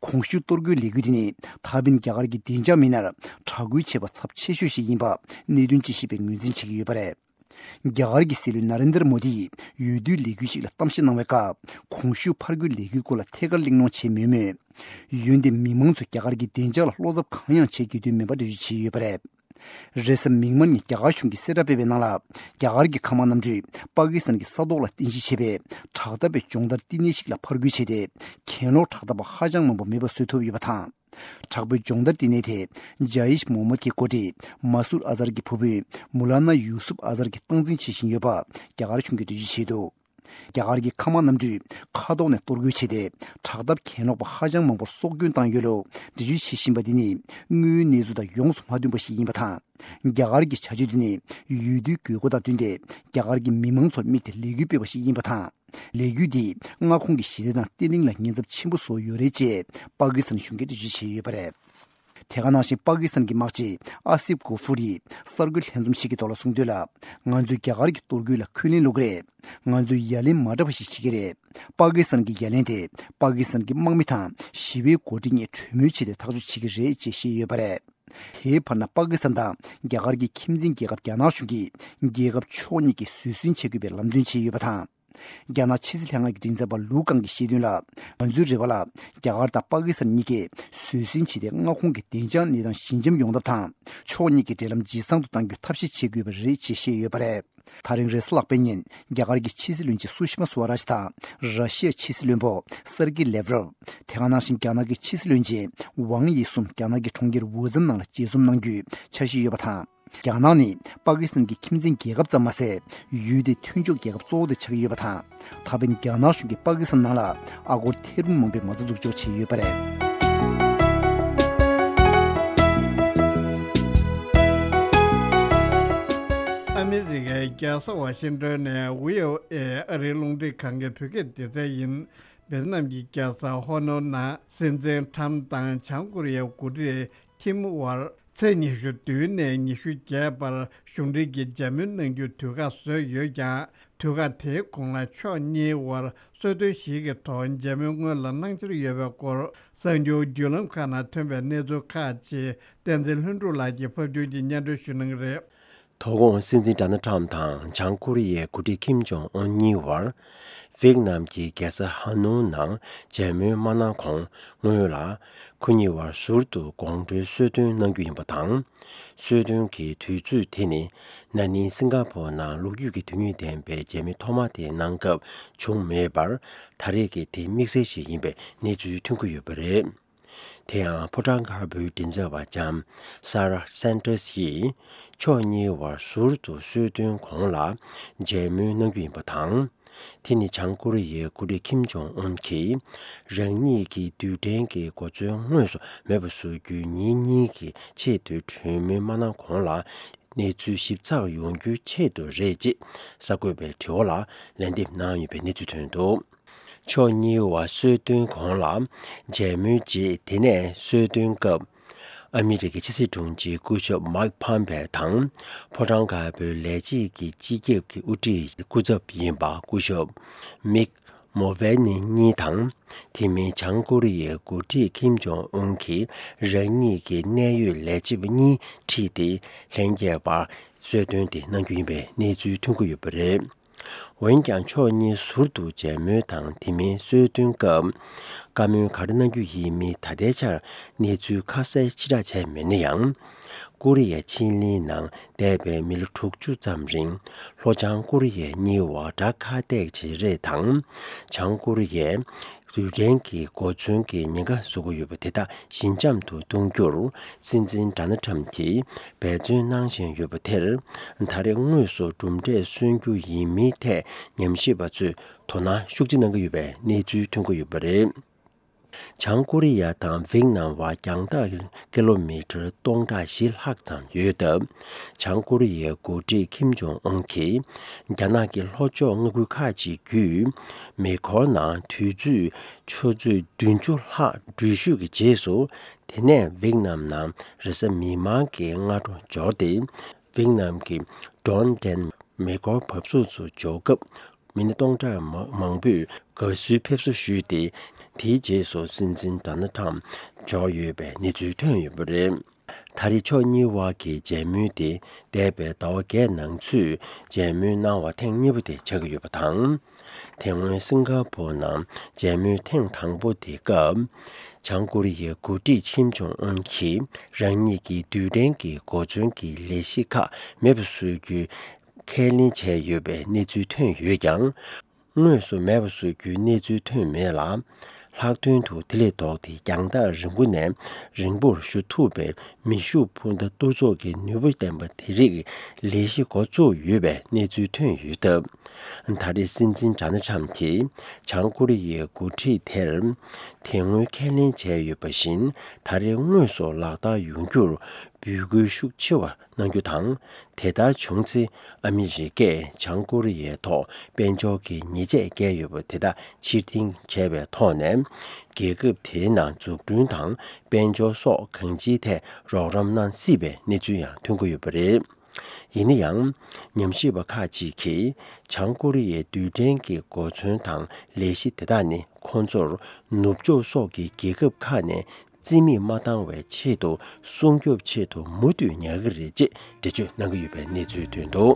གོང་ཞུས་གཏོར་རྒོལ་ལས་འགུལ་དེ་ནི་ད་ཕན་རྒྱ་གར་གྱི་བདེ་འཇགས་མི་སྣར་དྲག་རྒོལ་བྱས་པ་ཚབས་ཆེ་ཤོས་ཤིག་ཡིན་པ་གནད་དོན་དཔྱད་ཞིབ་པས་ངོས་འཛིན་བྱེད་ཀྱི་ཡོད་པ་རེད། རྒྱ་གར་གྱི་སྲིད་བློན་ན་རེན་དར་མོ་དི་ཡིས་འོས་བསྡུའི་ལས་འགུལ་ཞིག་ལ་གཏམ་བཤད་གནང་བའི་སྐབས། གོང་ཞུས་ཕར་རྒོལ་ལས་འགུལ་སྐོར་ལ་ཐད་ཀར་གླེང་སློང་བྱས་མེད་མོད། འོན་ཏེ་མི་མང་ཚོས་རྒྱ་གར་གྱི་བདེ་འཇགས་ལ་བློ་འཚབ་གང་ཡང་བྱེད་དགོས་དོན་མེད་པ་འགྲེལ་བརྗོད་བྱས་ཡོད་པ་རེད། རེས་གཟའ་མིག་དམར་ཉིན་རྒྱ་གར་གཞུང་གིས་གསལ་བསྒྲགས་སྤེལ་བའི་ནང་ལ། རྒྱ་གར་གྱི་མཁའ་དམག་གནམ་གྲུས་པ་ཀི་སི་ཐན་གྱི་ས་ཐོག་ལ་རྟེན་གཞི་བྱས་པའི་དྲག་འཐབ་པའི་སྦྱོང་བརྡར་བསྟི་གནས་ཤིག་ལ་ཕར་རྒོལ་བྱས་ཏེ། གྱེན་ལོག་དྲག་འཐབ་པ་ཧ་ཅང་མང་པོ་མེད་པ་བཟོ་ཐུབ་ཡོད་པ་དང་། དྲག་པོའི་སྦྱོང་བརྡར་བསྟི་གནས་དེ་ཇ་ཡིཤ་མོ་མད་ཀྱི་འགོ་ཁྲིད་མ་སུར་ཨ་ཛར་གྱི་བུ་སྤུན་མུ་ལ་ན་ཡུ་སུབ་ཨ་ཛར་གྱིས་སྟངས་འཛིན་བྱེད་བཞིན་ཡོད་པ་རྒྱ་གར་གཞུང་གིས་འགྲེལ་བརྗོད་བྱས་འདུག་རྒྱ་གར་གྱི་མཁའ་དམག་གནམ་གྲུས་མཁའ་ཐོག་ནས་གཏོར་རྒོལ་བྱས་ཏེ། དྲག་འཐབ་གྱེན་ལོག་པ་ཧ་ཅང་མང་པོར་སྲོག་སྐྱོན་བཏང་ཡོད་ལུགས་འགྲེལ་བརྗོད་བྱེད་བཞིན་པ་འདི་ནི་དངོས་ཡོད་གནས་ཚུལ་དང་ཡོངས་སུ་མ་མཐུན་པ་ཞིག་ཡིན་པ་དང་། རྒྱ་གར་གྱི་བྱ་སྤྱོད་འདི་ནི་འོས་བསྡུའི་དགོས་མཁོ་དང་བསྟུན་ཏེ། རྒྱ་གར་གྱི་མི་མང་ཚོར་དམིགས་ཏེ་ལས་འགུལ་སྤེལ་བ་ཞིག་ཡིན་པ་དང་། ལས་འགུལ་འདིས་མངའ་ཁོངས་ཀྱི་ཞི་བདེ་དང་བརྟན་ལྷིང་ལ་ཉེན་ཚབས་ཆེན་པོ་བཟོ་ཡོད་རེད་ཅེས་པ་ཀི་སི་ཐན་གཞུང་གིས་འགྲེལ་བརྗོད་བྱས་ཡོད་པ་རེད། དེ་ག་ནང་བཞིན་པ་ཀི་སི་ཐན་གྱི་དམག་སྤྱི་ཨ་སིབ་གོ་ཧྥུ་རིས་གསར་འགོད་ལྷན་འཛོམས་ཤིག་གི་ཐོག་ལ་གསུངས་དོན་ལ། ང་ཚོས་རྒྱ་གར་གྱི་གཏོར་རྒོལ་ལ་འཁོན་ལན་སློག་གི་རེད། ང་ཚོས་ཡ་ལན་མ་འདྲ་བ་ཞིག་བྱེད་ཀྱི་རེད། པ་ཀི་སི་ཐན་གྱི་ཡ་ལན་དེ་པ་ཀི་སི་ཐན་གྱི་དམག་མི་དང་ཞི་བའི་འགོ་ཁྲིད་གཉིས་གྲོས་མོལ་བྱས་ཏེ་ཐག་གཅོད་བྱེད་ཀྱི་རེད་ཅེས་བཤད་ཡོད་པ་རེད། དེའི་བར་ན་པ་ཀི་སི་ཐན་དང་རྒྱ་གར་གྱི་ཁྱིམ་མཚེས་རྒྱལ་ཁབ་རྒྱ་ནག་གཞུང་གིས་རྒྱལ་ཁབ་ཕྱོགས་གཉིས་ཀྱིས་བཟོད་བསྲན་བྱེད་དགོས་པའི་ལམ་སྟོན་བྱས་ཡོད་པ་དང་། རྒྱ་ནག་ཕྱི་སྲིད་ལྷན་ཁང་གི་མགྲིན་ཚབ་པ་ལུའུ་ཀང་གིས་བཤད་དོན་ལ། ང་ཚོའི་རེ་བ་ལ་རྒྱ་གར་དང་པ་ཀི་སི་ཐན་གཉིས་ཀས་བཟོད་བསྲན་བྱས་ཏེ་མངའ་ཁོངས་ཀྱི་བདེ་འཇགས་གནས་སྟངས་ཞི་འཇམ་ཡོང་ཐབས་དང་། ཕྱོགས་གཉིས་ཀྱི་འབྲེལ་ལམ་ཇེ་བཟང་དུ་གཏང་རྒྱུའི་ཐབས་ཤེས་བྱེད་དགོས་པ་རེད་ཅེས་བཤད་ཡོད་པ་རེད། ད་རིང་རེས་གཟའ་ལྷག་པའི་ཉིན་རྒྱ་གར་གྱི་ཕྱི་སྲིད་བློན་ཆེན་སུ་ཤི་མ་སུ་ཝ་རཱཇ་དང་། ར་ཤི་ཡའི་ཕྱི་སྲིད་བློན་པོ་སེར་ཀེ་ལེབ་རོབ། དེ་ག་ནང་བཞིན་རྒྱ་ནག་གི་ཕྱི་སྲིད་བློན་ཆེན་ཝང་དབྱི་གསུམ་རྒྱ་ནག་གི་གྲོང་ཁྱེར་ཝུ་ཛན་ནང་ལ་མཇལ་འཛོམས་གནང་རྒྱུའི་འཆར་གཞི་ཡོད་པ་དང་། རྒྱ་ནག་ནི་པ་ཀི་སི་ཐན་གྱི་ཁྱིམ་མཚེས་རྒྱལ་ཁབ་ཙམ་མ་ཟད། ཡུལ་དེའི་མཐུན་ཕྱོགས་རྒྱལ་ཁབ་གཙོ་བོ་དེ་ཆགས་ཀྱི་ཡོད་པ་དང་། ད་ཕན་རྒྱ་ནག་གཞུང་གིས་པ་ཀི་སི་ཐན་ནང་ལ་ཨ་སྒོར་ཐེར་འབུམ་མང་པོའི་མ་རྩ་འཛུགས་འཇོག་བྱས་ཡོད་པ་རེད། ཨ་མི་རི་ཀའི་རྒྱལ་ས་ཝ་ཤིང་ཏོན་ནས་བྷི་ཨོ་ཨེ་ཨ་རིའི་རླུང་འཕྲིན་ཁང་གི་བོད་སྐད་སྡེ་ཚན་ཡིན། ཝེ་ཏི་ནམ་གྱི་རྒྱལ་ས་ཧོ་ནོ་ནང་སྲིད་འཛིན་ཁྲམ་དང་བྱང་ཀོ་རི་ཡའི་འགོ་ཁྲིད་ཁིམ་དབར་ཚེས་ཉི་ཤུ་བདུན་ནས་ཉི་ཤུ་བརྒྱད་བར་གཞུང་འབྲེལ་གྱི་མཇལ་མོལ་གནང་རྒྱུའི་དུས་བཀག་བཟོས་ཡོད་ཀྱང་། དུས་བཀག་དེའི་གོང་ལ་ཕྱོགས་གཉིས་དབར་གསོལ་སྟོན་ཞིག་གི་ཐོག་མཇལ་མོལ་སྔོན་ལ་གནང་འཆར་ཡོད་པའི་སྐོར་གསར་འགྱུར་བརྒྱུད་ལམ་ཁག་ནང་ཐོན་པའི་གནས་ཚུལ་ཁག་ཅིག་བསྟན་འཛིན་ལྷུན་གྲུབ་ལགས་ཀྱིས་ཕབ་སྒྱུར་གྱིས་སྙན་སྒྲོན་ཞུ་གནང་གི་རེད། དོ་དགོང་སྲིད་འཛིན་ཌོ་ནལ་ཁྲམ་དང་བྱང་ཀོ་རི་ཡའི་འགོ་ཁྲིད་ཁིམ་ཇོང་ཨུན་གཉིས་བར་ཝེ་ཏི་ནམ་གྱི་རྒྱལ་ས་ཧ་ནོ་ནང་མཇལ་མོལ་མ་གནང་གོང་སྔོན་ལ། ཁོ་གཉིས་བར་ཟུར་དུ་དགོང་དྲོའི་གསོལ་སྟོན་གནང་རྒྱུ་ཡིན་པ་དང་། གསོལ་སྟོན་གྱི་དུས་ཚོད་དེ་ནི་ན་ནིང་སིང་ག་པོར་ནང་ལོ་རྒྱུས་ཀྱི་དོན་སྙིང་ལྡན་པའི་མཇལ་མོལ་ཐོག་མ་དེ་གནང་སྐབས་བྱུང་མེད་པར། ད་རེས་ཀྱི་དེ་དམིགས་བསལ་ཞིག་ཡིན་པའི་གནས་ཚུལ་ཐོན་གྱི་ཡོད་པ་རེད། དེ་ཡང་ཕོ་བྲང་དཀར་པོའི་མགྲིན་ཚབ་པ་ལྕམ་སཱ་ར་སན་ཏོས་ཡིས་ཕྱོགས་གཉིས་བར་ཟུར་དུ་གསོལ་སྟོན་གོང་ལ་མཇལ་མོལ་གནང་རྒྱུ་ཡིན་པ་དང་། དེ་ནི་བྱང་ཀོ་རི་ཡའི་འགོ་ཁྲིད་ཁིམ་ཇོང་ཨུན་གྱིས་རང་ཉིད་ཀྱི་རྡུལ་ཕྲན་གྱི་གོ་མཚོན་དངོས་སུ་མེད་པ་བཟོ་རྒྱུའི་ཉིན་གཉིས་ཀྱི་ཆེད་དུ་གྲོས་མོལ་མ་གནང་གོང་ལ་གནས་ཚུལ་ཞིབ་ཚགས་ཡོང་རྒྱུའི་ཆེད་དུ་རེད་ཅེས་གསར་འགོད་པའི་དྲི་བ་ལ་ལན་འདེབས་གནང་ཡོད་པའི་གནས་ཚུལ་ཐོན་འདུག་ཕྱོགས་གཉིས་བར་གསོལ་སྟོན་གོང་ལ་མཇལ་མོལ་རྗེས། དེ་ནས་གསོལ་སྟོན་སྐབས་ཨ་མི་རི་ཀའི་ཕྱི་སྲིད་དྲུང་ཆེ་སྐུ་ཞབས་མཱིག་ཕམ་པེ་དང་ཕོ་བྲང་དཀར་པོའི་ལས་བྱེད་ཀྱི་སྤྱི་ཁྱབ་ཀྱི་དབུ་ཁྲིད་སྐུ་ཚབ་ཡིན་པ་སྐུ་ཞབས་མིག་མོ་ཝེ་ནི་གཉིས་དང་། དེ་མིན་བྱང་ཀོ་རི་ཡའི་འགོ་ཁྲིད་ཁིམ་ཇོང་ཨུན་གྱིས་རང་ཉིད་ཀྱི་གནད་ཡོད་ལས་བྱེད་པ་གཉིས་ཁྲིད་དེ་ལྷན་རྒྱས་བར་གསོལ་སྟོན་དེ་གནང་རྒྱུ་ཡིན་པའི་གནས་ཚུལ་ཐོན་གྱི་ཡོད་པ་རེད། འོན་ཀྱང་ཕྱོགས་གཉིས་ཟུར་དུ་མཇལ་མོལ་དང་དེ་མིན་གསོལ་སྟོན་སྐབས་བཀའ་མོལ་ག་རེ་གནང་རྒྱུ་ཡིན་མིན་ད་ལྟའི་ཆར་གནས་ཚུལ་ཁ་གསལ་ཕྱིར་བསྒྲགས་བྱས་མེད་ན་ཡང་། ཀོ་རི་ཡའི་ཕྱེད་གླིང་ནང་འདས་པའི་མི་ལོ་དྲུག་ཅུ་ཙམ་རིང་ལྷོ་བྱང་ཀོ་རི་ཡའི་གཉིས་བར་དགྲ་ཁ་གཏད་བྱེད་རེས་དང་། བྱང་ཀོ་རི་ཡས་རྡུལ་ཕྲན་གྱི་གོ་མཚོན་གྱི་ཉེན་ཁ་བཟོ་གི་ཡོད་པ་དེ་དག་ཞི་འཇམ་དུ་གཏོང་རྒྱུར་སྲིད་འཛིན་ཌོ་ནལ་ཁྲམ་གྱིས་འབད་བརྩོན་གནང་བཞིན་ཡོད་པ་དེར། ད་རེས་དངོས་སུ་གྲུབ་འབྲས་སོན་རྒྱུ་ཡིན་མིན་ཐད་ཉམས་ཞིབ་པ་ཚོས་དོ་སྣང་ཤུགས་ཆེ་གནང་གི་ཡོད་པའི་གནས་ཚུལ་ཐོན་གྱི་ཡོད་པ་རེད། བྱང་ཀོ་རི་ཡ་དང་ཝེག་ནམ་བར་རྒྱང་ཐག་ཀི་ལོ་མི་ཊར་སྟོང་ཕྲག་བཞི་ལྷག་ཙམ་ཡོད་སྟབས། བྱང་ཀོ་རི་ཡའི་འགོ་ཁྲིད་ཁིམ་ཇོང་ཨུན་གྱིས་རྒྱ་ནག་གི་ལྷོ་ཕྱོགས་མངའ་ཁུལ་ཁག་ཅིག་བརྒྱུད་མེ་འཁོར་ནང་དུས་ཚོད་ཆུ་ཚོད་བདུན་ཅུ་ལྷག་འགྲུལ་བཞུད་ཀྱི་རྗེས་སུ། དེ་ནས་ཝེག་ནམ་ནང་རེས་གཟའ་མིག་དམར་གྱི་སྔ་དྲོ་འབྱོར་ཏེ། ཝེག་ནམ་གྱི་ཌོན་ཏན་མེ་འཁོར་བབས་ཚུགས་སུ་འབྱོར་སྐབས། མི་སྣ་སྟོང་ཕྲག་མ་མང་པོས་དགའ་བསུའི་ཕེབས་བསུ་ཞུས་ཏེ། དེའི་རྗེས་སུ་སྲིད་འཛིན་ཌོ་ནལ་ཁྲམ་འབྱོར་ཡོད་པའི་གནས་ཚུལ་ཐོན་ཡོད་པ་རེད། ད་རེས་ཕྱོགས་གཉིས་དབར་གྱི་མཇལ་མོལ་དེ་འདས་པའི་ཟླ་བ་བརྒྱད་ནང་ཚུད་མཇལ་མོལ་གནང་བ་ཐེངས་གཉིས་པ་དེ་ཆགས་ཀྱི་ཡོད་པ་དང་། དེ་སྔོན་སིང་ག་པོར་ནང་མཇལ་མོལ་ཐེངས་དང་པོ་དེ་སྐབས། བྱང་ཀོ་རི་ཡའི་འགོ་ཁྲིད་ཁིམ་ཇོང་ཨུན་གྱིས་རང་ཉིད་ཀྱི་རྡུལ་ཕྲན་གྱི་གོ་མཚོན་གྱི་ལས་གཞི་ཁག་མེད་པ་བཟོ་རྒྱུའི་ཁས་ལེན་བྱས་ཡོད་པའི་གནས་ཚུལ་ཐོན་ཡོད་ཀྱང་། དངོས་སུ་མེད་པ་བཟོ་རྒྱུའི་གནས་ཚུལ་ཐོན་མེད་ལ། ལྷག་དོན་དུ་དེ་ལས་ལྡོག་སྟེ་རྒྱང་ཐག་རིང་པོ་ནས་རིང་པོར་ཞུ་ཐུབ་པའི་མེ་ཤུགས་འཕུར་མདའ་གཏོར་ཚོགས་ཀྱི་ནུས་པ་ལྡན་པ་དེ་རིགས་ལས་གཞི་འགོ་བཙུགས་ཡོད་པའི་གནས་ཚུལ་ཐོན་ཡོད་སྟབས། ད་རེས་སྲིད་འཛིན་ཌོ་ནལ་ཁྲམ་གྱིས་བྱང་ཀོ་རི་ཡའི་འགོ་ཁྲིད་དེར་དེ་སྔོན་ཁས་ལེན་བྱས་ཡོད་པ་བཞིན་ད་རེས་དངོས་སུ་ལག་བསྟར་ཡོང་རྒྱུར་འབོད་སྐུལ་ཤུགས་ཆེ་བ་གནང་རྒྱུ་དང་། དེ་ལྟར་བྱུང་ཚེ་ཨ་མི་རི་ཀས་བྱང་ཀོ་རི་ཡའི་ཐོག་དཔལ་འབྱོར་གྱི་ཉེས་ཆད་བཀལ་ཡོད་པ་དེ་དག་ཕྱིར་འཐེན་བྱས་པའི་ཐོག་ནས། རྒྱལ་ཁབ་དེའི་ནང་འཛུགས་སྐྲུན་དང་དཔལ་འབྱོར་སོགས་གང་ཅིའི་ཐད་རོགས་རམ་གནང་སྲིད་པའི་གནས་ཚུལ་ཡང་ཐོན་གྱི་ཡོད་པ་རེད། ཡིན་ན་ཡང་། ཉམས་ཞིབ་པ་ཁག་ཅིག་གིས་བྱང་ཀོ་རི་ཡའི་རྡུལ་ཕྲན་གྱི་གོ་མཚོན་དང་ལས་གཞི་དེ་དག་ནི་ཁོང་ཚོར་ནུབ་ཕྱོགས་སོགས་ཀྱི་རྒྱལ་ཁབ་ཁག་ནས་རྩིས་མེད་མ་བཏང་བའི་ཆེད་དུ་སྲུང་སྐྱོབ་ཆེད་དུ་མུ་མཐུད་ཉར་གྱི་རེད་ཅེས་འགྲེལ་བརྗོད་གནང་གི་ཡོད་པའི་གནས་ཚུལ་ཐོན་འདུག་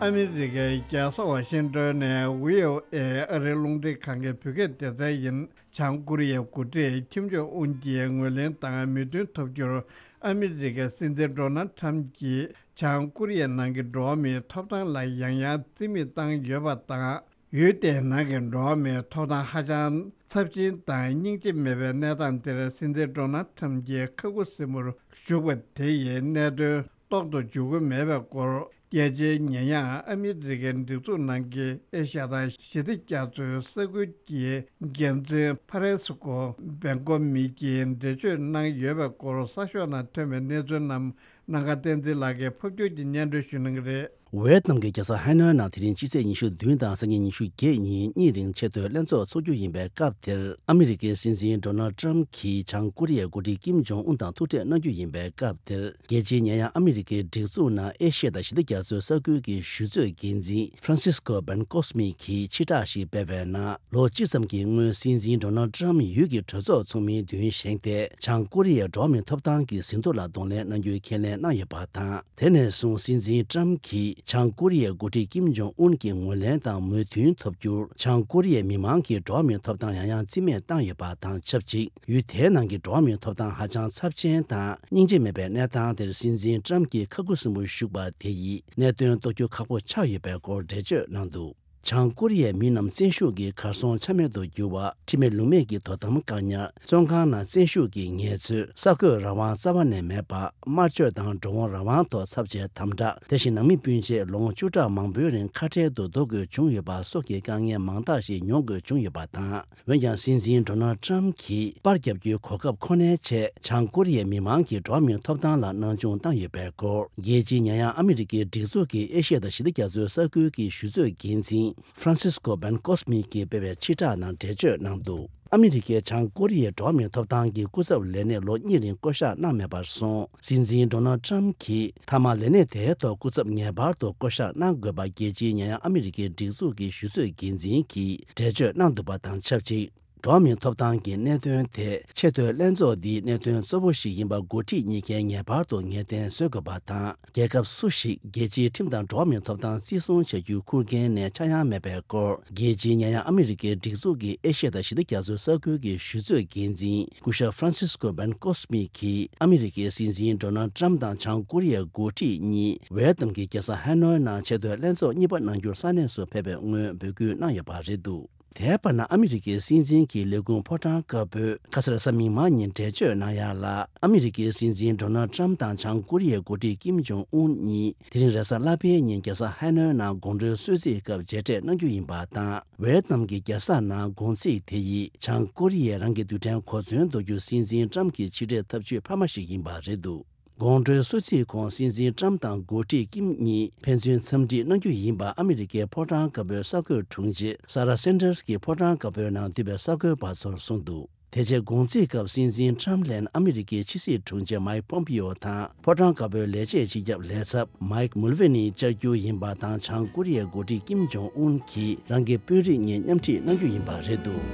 ཨ་མི་རི་ཀའི་རྒྱལ་ས་ཝ་ཤིང་ཏོན་ནས་བྷི་ཨོ་ཨེ་ཨ་རིའི་རླུང་འཕྲིན་ཁང་གི་བོད་སྐད་སྡེ་ཚན་ཡིན། བྱང་ཀོ་རི་ཡའི་འགོ་ཁྲིད་ཁིམ་ཇོང་ཨུན་གྱིས་ངོས་ལེན་དང་མོས་མཐུན་ཐོབ་རྒྱུར་ཨ་མི་རི་ཀའི་སྲིད་འཛིན་ཌོ་ནལ་ཁྲམ་གྱིས་བྱང་ཀོ་རི་ཡའི་ནང་གི་འགྲོ་བ་མིའི་ཐོབ་ཐང་ལ་ཡང་ཡང་རྩིས་མེད་བཏང་ཡོད་པ་དང་ ཡུལ་དེའི་ནང་གི་འགྲོ་བ་མིའི་ཐོབ་ཐང་ཧ་ཅང་ཚབས་ཆེན་དང་སྙིང་རྗེ་མེད་པའི་གནས་སྟངས་དེར་སྲིད་འཛིན་ཌོ་ནལ་ཊམ་གྱིས་ཁ་ཁུ་སིམ་པོར་བཞུགས་པ་དེ་ཡིས་གནད་དོན་རྟོགས་སུ་འཇུག་གི་མེད་པའི་སྐོར། རྒྱལ་སྤྱིའི་ཉེས་ཡངས་ཨ་མི་རི་ཀའི་སྒྲིག་འཛུགས་ནང་གི་ཨེ་ཤ་ཡ་དང་ཞི་བདེ་རྒྱ་མཚོའི་ས་ཁུལ་གྱི་འགན་འཛིན་ཕ་རན་སི་ཀོ་བེན་ཀོ་མི་གྱིས་འགྲེལ་བརྗོད་གནང་ཡོད་པའི་སྐོར། གསར་ཤོག་ནང་ཐོན་པའི་གནས་ཚུལ་རྣམས་ནམ་མཁའ་བསྟན་འཛིན་ལགས་ཀྱིས་ཕབ་སྒྱུར་གྱིས་སྙན་སྒྲོན་ཞུ་གནང་གི་རེད། ཝེ་ཏམ་གྱི་རྒྱལ་ས་ཧ་ནོའི་ནང་དེ་རིང་སྤྱི་ཚེས་ཉི་ཤུ་བདུན་དང་སང་ཉིན་ཉི་ཤུ་བརྒྱད་ཉིན་གཉིས་རིང་ཆེས་མཐོའི་ལྷན་ཚོགས་འཚོགས་རྒྱུ་ཡིན་པའི་སྐབས་དེར། ཨ་མི་རི་ཀའི་སྲིད་འཛིན་ཌོ་ནལ་ཊམ་གྱིས་བྱང་ཀོ་རི་ཡའི་འགོ་ཁྲིད་ཀིམ་ཇོང་ཨུན་དང་ཐུག་འཕྲད་གནང་རྒྱུ་ཡིན་པའི་སྐབས་དེར། རྒྱལ་སྤྱིའི་ཉེས་ཡངས་ཨ་མི་རི་ཀའི་སྒྲིག་འཛུགས་ནང་ཨེ་ཤི་ཡ་དང་ཞི་བདེ་རྒྱ་མཚོའི་ས་ཁུལ་གྱི་གཞི་གཙོའི་འགན་འཛིན་ཧྥ་རན་སིས་ཀོ་བེན་ཀོ་སི་མི་གིས་ཕྱིར་བསྒྲགས་ཤིག་སྤེལ་བའི་ནང་། ལོ་གཅིག་ཙམ་གྱི་སྔོན་སྲིད་འཛིན་ཌོ་ནལ་ཊམ་ཡུལ་གྱི་གྲོས་ཚོགས་ཚོགས་མིའི་མདུན་བཞེངས་ཏེ། བྱང་ཀོ་རི་ཡའི་འགྲོ་བ་མིའི་ཐོབ་ཐང་གི་ཟིན་ཐོ་ལ་གདོང་ལེན་གནང་རྒྱུའི་ཁས་ལེན་གནང་ཡོད་པ་དང་། དེ་ནས་བཟུང་སྲིད་འཛིན་ཊམ་གྱིས་བྱང་ཀོ་རི་ཡའི་འགོ་ཁྲིད་ཀིམ་ཇོང་ཨུན་གྱི་ངོས་ལེན་དང་མོས་མཐུན་ཐོབ་རྒྱུར། བྱང་ཀོ་རི་ཡའི་མི་མང་གིས་འགྲོ་བ་མིའི་ཐོབ་ཐང་ཡང་ཡང་རྩིས་མེད་བཏང་ཡོད་པ་དང་ཆབས་ཅིག་ཡུལ་དེའི་ནང་གི་འགྲོ་བ་མིའི་ཐོབ་ཐང་ཧ་ཅང་ཚབས་ཆེན་དང་སྙིང་རྗེ་མེད་པའི་གནས་སྟངས་དེར་སྲིད་འཛིན་ཊམ་གྱིས་ཁ་ཁུ་སིམ་པོར་བཞུགས་པ་དེ་ཡིས་གནད་དོན་རྟོགས་རྒྱུ་ཁག་པོ་ཆགས་ཡོད་པའི་སྐོར་འགྲེལ་བརྗོད་གནང་འདུག་བྱང་ཀོ་རི་ཡའི་མི་རྣམས་བཙན་ཤུགས་ཀྱིས་གར་སོང་ཆ་མེད་དུ་གྱུར་བ། ཁྲིམས་མེད་ལུགས་མེད་ཀྱི་དོ་དམ་བཀག་ཉར། བཙོན་ཁང་ནང་བཙན་ཤུགས་ཀྱི་ངལ་རྩོལ། གསར་འགོད་རང་དབང་རྩ་བ་ནས་མེད་པ། དམར་གཅོད་དང་འགྲོ་འོང་རང་དབང་ཐོག་ཚབས་ཆེའི་དམ་དྲག་དེ་བཞིན་ནང་མི་སྤུན་མཆེད་ལོ་ངོ་བཅུ་ཕྲག་མང་པོའི་རིང་ཁ་བྲལ་དུ་ལྡོག་དགོས་བྱུང་ཡོད་པ་སོགས་ཀྱི་དཀའ་ངལ་མང་དག་ཞིག་མྱོང་དགོས་བྱུང་ཡོད་པ་དང་། འོན་ཀྱང་སྲིད་འཛིན་ཌོ་ནལ་ཊམ་གྱིས་པར་རྒྱབ་རྒྱུའི་གོ་སྐབས་ཁོ་ནའི་ཆེད། བྱང་ཀོ་རི་ཡའི་མི་མང་གི་འགྲོ་བ་མིའི་ཐོབ་ཐང་ལ་སྣང་ཆུང་བཏང་ཡོད་པའི་སྐོར། རྒྱལ་སྤྱིའི་ཉེས་ཡངས་ཨ་མི་རི་ཀའི་སྒྲིག་འཛུགས་ཀྱི་ཨེ་ཤི་ཡ་དང་ཞི་བདེ་རྒྱ་མཚོའི་ས་ཁུལ་གྱི་གཞི་གཙོའི་འགན་འཛིན་ཧྥ་རན་སིས་ཀོ་བེན་ཀོ་སི་མི་གིས་སྤེལ་བའི་ཕྱིར་བསྒྲགས་ནང་འགྲེལ་བརྗོད་གནང་འདུག་ཨ་མི་རི་ཀས་བྱང་ཀོ་རི་ཡའི་འགྲོ་བ་མིའི་ཐོབ་ཐང་གི་སྐུ་ཚབ་ལས་གནས་ལོ་གཉིས་རིང་བསྐོ་གཞག་གནང་མེད་པར་སོང་། སྲིད་འཛིན་ཌོ་ནལ་ཊམ་གྱིས་མཐའ་མ་ལས་གནས་དེའི་ཐོག་སྐུ་ཚབ་ངེས་པར་དུ་བསྐོ་གཞག་གནང་དགོས་པ། རྒྱལ་སྤྱིའི་ཉེས་ཡངས་ཨ་མི་རི་ཀའི་སྒྲིག་འཛུགས་ཀྱི་གཞི་གཙོའི་འགན་འཛིན་གྱིས་འགྲེལ་བརྗོད་གནང་འདུག་པ་དང་ཆབས་ཅིག་འགྲོ་བ་མིའི་ཐོབ་ཐང་གི་གནད་དོན་དེ་ཆེས་མཐོའི་ལྷན་ཚོགས་འདིའི་གནད་དོན་གཙོ་བོ་ཞིག་ཡིན་པ་འགོ་ཁྲིད་གཉིས་ཀས་ངེས་པར་དུ་ངེས་གཏན་བཟོ་དགོས་པ་དང་། རྒྱལ་ཁབ་སུ་ཞིག་རྒྱལ་སྤྱིའི་ཁྲིམས་དང་འགྲོ་བ་མིའི་ཐོབ་ཐང་བརྩི་སྲུང་བྱ་རྒྱུའི་ཁུར་འགན་ནས་ཆག་ཡང་མེད་པའི་སྐོར། རྒྱལ་སྤྱིའི་ཉེས་ཡངས་ཨ་མི་རི་ཀའི་སྒྲིག་འཛུགས་ཀྱི་ཨེ་ཤི་ཡ་དང་ཞི་བདེ་རྒྱ་མཚོའི་ས་ཁུལ་གྱི་གཞི་གཙོའི་འགན་འཛིན་སྐུ་ཞབས་ཧྥ་རན་སིས་ཀོ་བེན་ཀོ་སི་མི་གིས་ཨ་མི་རི་ཀའི་སྲིད་འཛིན་ཌོ་ནལ་ཊམ་དང་བྱང་ཀོ་རི་ཡའི་འགོ་ཁྲིད་གཉིས་ཝེ་ཏམ་གྱི་རྒྱལ་ས་ཧ་ནོའི་ནང་ཆེས་མཐོའི་ལྷན་ཚོགས་གཉིས་པ་གནང་རྒྱུར་ས་གནས་སུ་ཕེབས་པའི་སྔོན་འབོད་སྐུལ་གནང་ཡོད་པ་རེད་འདུག་དེའི་བར་ན་ཨ་མི་རི་ཀའི་སྲིད་འཛིན་གྱི་ལས་ཁུངས་ཕོ་བྲང་དཀར་པོས་ཁ་སང་གཟའ་མིག་དམར་ཉིན་འགྲེལ་བརྗོད་གནང་ཡག་ལ། ཨ་མི་རི་ཀའི་སྲིད་འཛིན་ཌོ་ནལ་ཊམ་དང་བྱང་ཀོ་རི་ཡའི་འགོ་ཁྲིད་ཀིམ་ཇོང་ཨུན་གཉིས་དེ་རིང་རེས་གཟའ་ལྷག་པའི་ཉིན་རྒྱལ་ས་ཧ་ནོའི་ནང་དགོང་དྲོའི་གསོལ་ཚིགས་སྐབས་མཇལ་འཕྲད་གནང་རྒྱུ་ཡིན་པ་དང་། ཝེ་ཏམ་གྱི་རྒྱལ་ས་ནང་དགོང་ཚིགས་དེ་ཡིས་བྱང་ཀོ་རི་ཡས་རང་གི་རྡུལ་ཕྲན་གོ་མཚོན་གཏོང་རྒྱུ་སྲིད་འཛིན་ཊམ་གྱི་ཕྱི་འབྲེལ་ཐབས་ཇུས་འཕར་མ་ཞིག་ཡིན་པ་རེད་འདུག་དགོང་དྲོའི་གསོལ་ཚིགས་གོང་སྲིད་འཛིན་ཊམ་དང་འགོ་ཁྲིད་ཀིམ་གཉིས་ཕན་ཚུན་འཚམས་འདྲི་གནང་རྒྱུ་ཡིན་པ་ཨ་མི་རི་ཀའི་ཕོ་བྲང་དཀར་པོའི་གསར་འགོད་དྲུང་ཆེ་ས་ར་སན་ཏར་སི་གིས་ཕོ་བྲང་དཀར་པོའི་ནང་འདུས་པའི་གསར་འགོད་པ་ཚོར་གསུངས་འདུག་དེ་རྗེས་དགོང་རྩིས་སྐབས་སྲིད་འཛིན་ཊམ་ལན་ཨ་མི་རི་ཀའི་ཕྱི་སྲིད་དྲུང་ཆེ་མའིག་པོམ་པིའོ་དང་ཕོ་བྲང་དཀར་པོའི་ལས་བྱེད་སྤྱི་ཁྱབ་ལས་ཚབ་མའིག་མུལ་ཝེ་ནི་བཅར་རྒྱུ་ཡིན་པ་དང་། བྱང་ཀོ་རི་ཡའི་འགོ་ཁྲིད་ཀིམ་ཇོང་ཨུན་གྱིས་རང་གི་དཔོན་རིགས་གཉིས་མཉམ་ཁྲིད་གནང་རྒྱུ་ཡིན་པ་རེད་འདུག་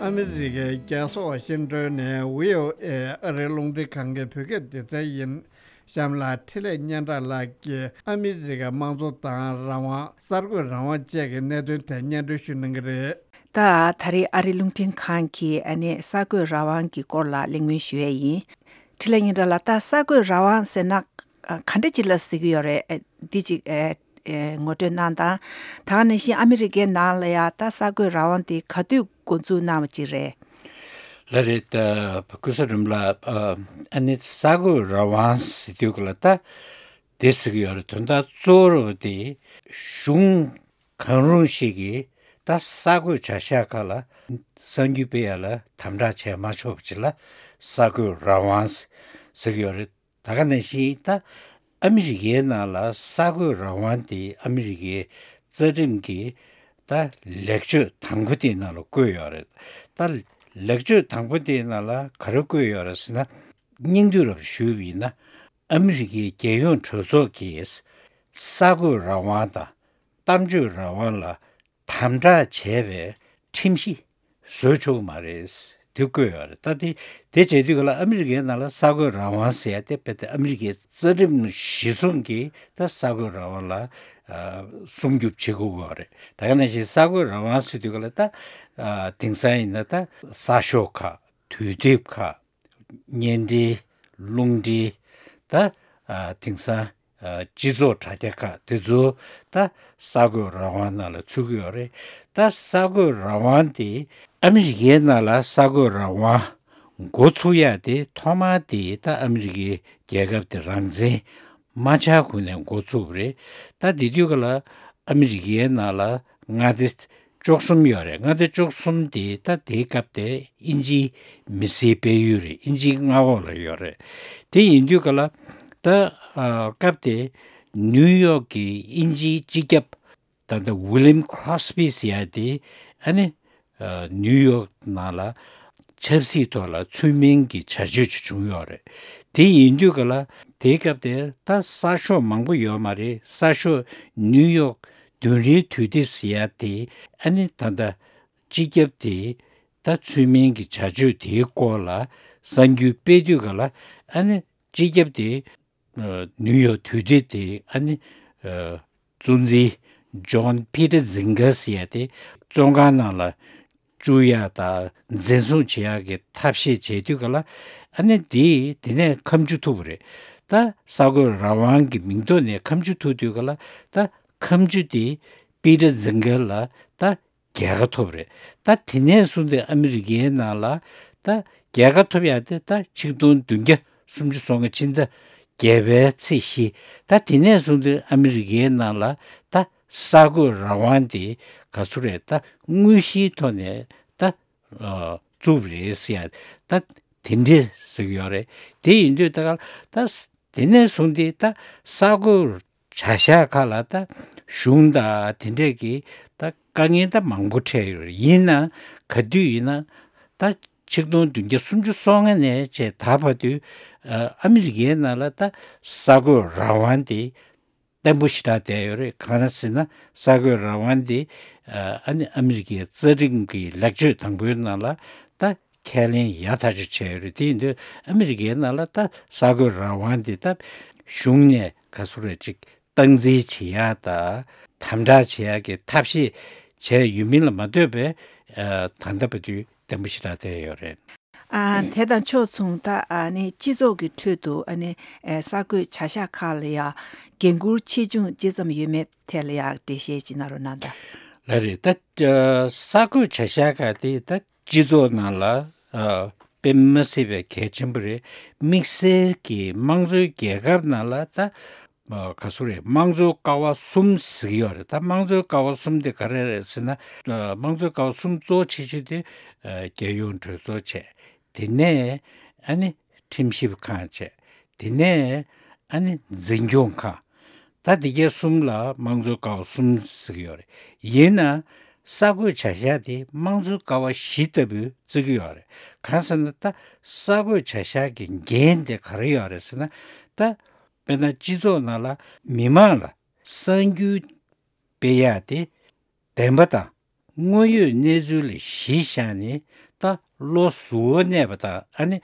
ཨ་མི་རི་ཀའི་རྒྱལ་ས་ཝ་ཤིང་ཏོན་ནས་བྷི་ཨོ་ཨེ་ཨ་རིའི་རླུང་འཕྲིན་ཁང་གི་བོད་སྐད་སྡེ་ཚན་ཡིན། གཤམ་ལ་འཕྲིན་ལས་སྙན་གྲགས་ལགས་ཀྱིས་ཨ་མི་རི་ཀའི་དམངས་གཙོ་དང་རང་དབང་། གསར་འགོད་རང་དབང་བཅས་ཀྱི་གནད་དོན་ཐད་སྙན་སྒྲོན་ཞུ་གནང་གི་རེད། ད་ད་རེས་ཨ་རིའི་རླུང་འཕྲིན་ཁང་གིས་ཨ་ནི་གསར་འགོད་རང་དབང་གི་སྐོར་ལ་གླེང་མོལ་ཞུ་ཡས་ཡིན། འཕྲིན་ལས་སྙན་གྲགས་ལགས། ད་གསར་འགོད་རང་དབང་ཟེར་ན་ག་འདྲ་ཅིག་ལ་ཟེར་གྱི་ཡོད་རེད། འདི་ཅིག་ངོ་སྤྲོད་གནང་དང་། ད་ག་ནང་བཞིན་ཨ་མི་རི་ཀའི་ནང་ལ་ཡང་ད་གསར་འགོད་རང་དབང་དེ་ག་དུས་འགོ་འཛུགས་གནང་བ་ཅིག་རེད། ལགས་རེད། ད་ཀུན་བཟང་སྒྲོལ་མ་ལགས། ཨ་ནི་གསར་འགོད་རང་དབང་ཟེར་དུས་ག་ལ་ད་དེ་ཟེར་གྱི་ཡོད་རེད། དོན་དག་གཙོ་བོ་དེ་གཞུང་གང་རུང་ཞིག་གིས་ད་གསར་འགོད་བྱ་གཞག་ཁག་ལ་གསར་འགྱུར་སྤེལ་ཡ་ལ་དམ་དྲག་བྱས་མ་ཆོག་པ་ཅིག་ལ་གསར་འགོད་རང་དབང་ཟེར་གྱི་ཡོད་རེད། ད་ག་ནང་བཞིན་ད་ཨ་མི་རི་ཀའི་ནང་ལ་གསར་འགོད་རང་དབང་དེ་ཨ་མི་རི་ཀའི་རྩ་ཁྲིམས་ཀྱི་ད་ལེགས་བཅོས་དང་པོ་དེའི་ནང་ལ་བཀོད་ཡོད་རེད། ད་ལེགས་བཅོས་དང་པོ་དེའི་ནང་ལ་ག་རེ་བཀོད་ཡོད་རེད་ཟེར་ན། སྙིང་བསྡུས་རབ་ཞུས་པ་ཡིན་ན། ཨ་མི་རི་ཀའི་རྒྱལ་ཡོངས་གྲོས་ཚོགས་ཀྱིས་གསར་འགོད་རང་དབང་དང་གཏམ་བརྗོད་རང་དབང་ལ་དམ་དྲག་བྱས་པའི་ཁྲིམས་གཞི་བཟོ་ཆོག་གི་མ་རེད། དེ་བཀོད་ཡོད་རེད། ད་དེ་དེ་བྱེད་དུས་ག་ལ་ཨ་མི་རི་ཀའི་ནང་ལ་གསར་འགོད་རང་དབང་ཟེར་ཡ་དེ་རྦད་དེ་ཨ་མི་རི་ཀའི་རྩ་ཁྲིམས་གཞི་བཟུང་གིས་ད་གསར་འགོད་རང་དབང་ལ་ཨ་སྲུང་སྐྱོབ་བྱེད་དགོས་ཀྱི་ཡོད་རེད། ད་ག་ནང་བཞིན་གསར་འགོད་རང་དབང་ཟེར་དུས་ག་ལ་ད་ཨ་དེང་སང་ཡིན་ན་ད་གསར་ཤོག་ཁག་དུས་དེབ་ཁག་བརྙན་འཕྲིན། རླུང་འཕྲིན། ད་ ཨ་དེང་སང་ཨ་སྤྱི་ཚོགས་དྲ་རྒྱ་ཁག་དེ་ཚོ་ད་གསར་འགོད་རང་དབང་ནང་ལ་ཚུད་ཀྱི་ཡོད་རེད། ད་གསར་འགོད་རང་དབང་དེ་ཨ་མི་རི་ཀའི་ནང་ལ་གསར་འགོད་རང་དབང་འགོ་ཚུགས་ཡ་དེ་ཐོག་མར་དེ་ད་ཨ་མི་རི་ཀའི་རྒྱལ་ཁབ་དེ་རང་བཙན་མ་ཆགས་གོང་ནས་འགོ་ཚུགས་པ་རེད། ད་དེ་དུས་ག་ལ་ཨ་མི་རི་ཀའི་ནང་ལ་མངའ་སྡེ་བཅུ་གསུམ་ཡོད་རེད། མངའ་སྡེ་བཅུ་གསུམ་དེ་ད་དེའི་སྐབས་དེ་དབྱིན་ཇིའི་མི་སེར་སྤེལ་ཡུལ་རེད། དབྱིན་ཇིའི་མངའ་འོག་ལ་ཡོད་རེད། དེ་ཡིན་དུས་ག་ལ་ད་ཨ་སྐབས་དེ་ནིའུ་ཡོག་གི་དབྱིན་ཇིའི་སྤྱི་ཁྱབ་ད་ལྟ་ཝི་ལིམ་ཁྲོ་སི་པི་ཟེར་ཡ་དེ་ཨ་ནི་ཨ་ནིའུ་ཡོག་ནང་ལ་ཆབ་སྲིད་ཐོག་ལ་ཚུལ་མིན་གྱི་བྱ་སྤྱོད་ཅིག་བྱུང་ཡོད་རེད། དེ་ཡིན་དུས་ག་ལ་དེའི་སྐབས་དེ་ད་གསར་ཤོག་མང་པོ་ཡོད་མ་རེད། གསར་ཤོག་ནིའུ་ཡོག་བདུན་རེའི་དུས་དེབ་ཟེར་ཡ་དེ་ཨ་ནི་ད་ལྟ་སྤྱི་ཁྱབ་དེ་ད་ཚུལ་མིན་གྱི་བྱ་སྤྱོད་དེའི་སྐོར་ལ་གསར་འགྱུར་སྤེལ་དུས་ག་ལ་ཨ་ནི་སྤྱི་ཁྱབ་དེ་ཨ་ནིའུ་ཡོག་དུས་དེབ་དེ་ཨ་ནི་ཨ་གཙོ་འཛིན་ཇོན་པི་ཏར་ཛིང་གར་ཟེར་ཡ་དེ་བཙོན་ཁང་ནང་ལ་བཅུག་ཡ་དང་འཛིན་བཟུང་བྱེད་ཡ་གི་ཐབས་ཤེས་བྱེད་དུས་ག་ལ་ཨ་ནི་དེ་དེ་ནས་ཁ་མཆུ་ཐུག་པ་རེད། ད་གསར་འགོད་རང་དབང་གི་མིང་ཐོག་ནས་ཁ་མཆུ་ཐུག་དུས་ག་ལ་ད་ཁ་མཆུ་དེ་པི་ཏར་ཛིང་གར་ལ་ད་རྒྱལ་ཁ་ཐོབ་རེད། ད་དེ་ནས་བཟུང་སྟེ་ཨ་མི་རི་ཀའི་ནང་ལ་ད་རྒྱལ་ཁ་ཐོབ་ཡ་དེ་ད་ཆིག་སྟོང་བདུན་བརྒྱ་སུམ་ཅུ་སོ་ལྔ་ཕྱི་ཟླ་བརྒྱད་པའི་ཚེས་བཞི། ད་དེ་ནས་བཟུང་སྟེ་ཨ་མི་རི་ཀའི་ནང་ལ་ད་གསར་འགོད་རང་དབང་དེ་ག་ཚོད་རེད། ད་དངོས་གཞིའི་ཐོག་ནས་ད་ཨ་བཙུགས་རེད་ཟེར་ཡ་ད་དེ་འདྲས་ཟེར་གྱི་ཡོད་རེད། དེ་ཡིན་དུས་ད་ག་ད་དེ་ནས་བཟུང་སྟེ་ད་གསར་འགོད་བྱ་གཞག་ཁག་ལ་ད་གཞུང་དང་དེ་འདྲས་ཀྱི་ད་དཀའ་ངལ་ད་མང་པོ་འཕྲད་ཡོད་རེད། ཡིན་ན་ག་དུས་ཡིན་ན་ད་ཆིག་སྟོང་བདུན་བརྒྱ་སུམ་ཅུ་སོ་ལྔ་ནས་བྱས་ད་བར་དུ་ཨ་ཨ་མི་རི་ཀའི་ནང་ལ་ད་གསར་འགོད་རང་དབང་དེ་བརྟན་པོ་ཞེ་དྲག་བསྡད་ཡོད་རེད། གང་ལ་ཟེར་ན་གསར་འགོད་རང་དབང་དེ་ཨ་ཨ་ནི་ཨ་མི་རི་ཀའི་རྩ་ཁྲིམས་ཀྱི་ལེགས་བཅོས་དང་པོའི་ནང་ལ་ད་ཁས་ལེན་ཡག་ཐག་ཆོད་བྱས་ཡོད་རེད། དེ་ཡིན་དུས་ཨ་མི་རི་ཀའི་ནང་ལ་ད་གསར་འགོད་རང་དབང་དེ་ད་གཞུང་ནས་ག་ཚོད་རེ་ཅིག་སྟངས་འཛིན་བྱེད་ཡག་དང་དམ་དྲག་བྱེད་ཡག་གི་ཐབས་ཤེས་བྱས་ཡོད་མིན་ལ་མ་ལྟོས་པའི་ཨ་ད་ལྟ་བར་དུ་བརྟན་པོ་ཞེ་དྲག་བསྡད་ཡོད་རེད། ཨ་དེ་དང་ཕྱོགས་མཚུངས་ད་ཨ་ནི་སྤྱི་ཚོགས་ཀྱི་ཁྲོད་དུ་ཨ་ནི་ཨེ་གསར་འགོད་བྱ་གཞག་ཁག་ལ་ཡང་འགན་འཁུར་ཆེ་ཆུང་ཅི་ཙམ་ཡོད་མེད་ཐད་ལ་ཡང་འགྲེལ་བཤད་ཅིག་གནང་རོགས་གནང་དང་། ལགས་རེད། ད་ཨ་གསར་འགོད་བྱ་གཞག་ཁག་དེ་ད་སྤྱི་ཚོགས་ནང་ལ་ཨ་དཔེ་མི་སྲིད་པའི་གལ་ཆེན་པོ་རེད། དམིགས་བསལ་གྱི་དམངས་གཙོའི་རྒྱལ་ཁབ་ནང་ལ་ད་ཨ་ག་ཚོད་རེད། དམངས་གཙོའི་ཀ་བ་གསུམ་ཟེར་གྱི་ཡོད་རེད། ད་དམངས་གཙོའི་ཀ་བ་གསུམ་དེ་ག་རེ་རེད་ཟེར་ན། ཨ་དམངས་གཙོའི་ཀ་བ་གསུམ་གཙོ་ཆེ་ཤོས་དེ་ཨ་རྒྱལ་ཡོངས་གྲོས་ཚོགས་བྱས། དེ་ནས་ཨ་ནི་ཁྲིམས་ཞིབ་ཁང་བྱས། དེ་ནས་ཨ་ནི་འཛིན་སྐྱོང་ཁང་། ད་འདི་གའི་གསུམ་ལ་དམངས་གཙོའི་ཀ་བ་གསུམ་ཟེར་གྱི་ཡོད་རེད། ཡིན་ན་གསར་འགོད་བྱ་གཞག་དེ་དམངས་གཙོའི་ཀ་བ་བཞི་ལྟ་བུ་བརྩི་གི་ཡོད་རེད། གང་ཟེར་ན་ད་གསར་འགོད་བྱ་གཞག་གི་འགན་དེ་ག་རེ་ཡོད་རེད་ཟེར་ན། ད་དཔེར་ན་སྤྱི་ཚོགས་ནང་ལ་མི་མང་ལ་གསར་འགྱུར་སྤེལ་ཡག་དེ་བདེན་པ་དང་དངོས་ཡོད་གནས་ཚུལ་ལ་གཞི་བཞག་ནས་ད་བློ་གཟུ་བོར་གནས་པ་དང་ཨ་ནི་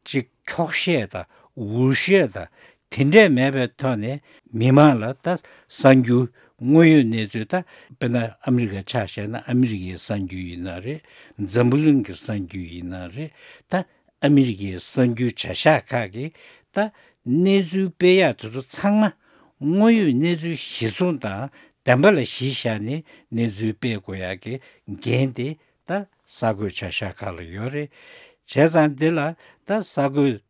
ཅིག་འཁྱོག་བཤད་དང་འུར་བཤད་དང་དེ་འདྲས་མེད་པའི་ཐོག་ནས་མི་མང་ལ་ད་གསར་འགྱུར་དངོས་ཡོད་གནས་ཚུལ། ད་དཔེར་ན་ཨ་མི་རི་ཀ་ཆ་བཞག་ན་ཨ་མི་རི་ཀའི་གསར་འགྱུར་ཡིན་ན་རེད། འཛམ་བུ་གླིང་གི་གསར་འགྱུར་ཡིན་ན་རེད། ད་ཨ་མི་རི་ཀའི་གསར་འགྱུར་བྱ་གཞག་ཁག་གིས་ད་གནས་ཚུལ་སྤེལ་ཡག་དེ་ཚོ་ཚང་མ་དངོས་ཡོད་གནས་ཚུལ་གཞིར་བཟུང་དང་བདེན་པ་ལ་གཞི་བཞག་ནས་གནས་ཚུལ་སྤེལ་དགོས་ཡག་གི་འགན་དེ་ད་གསར་འགོད་བྱ་གཞག་ཁག་ལ་ཡོད་རེད། བྱས་ཙང་འདི་ལ་ད་གསར་འགོད་བྱ་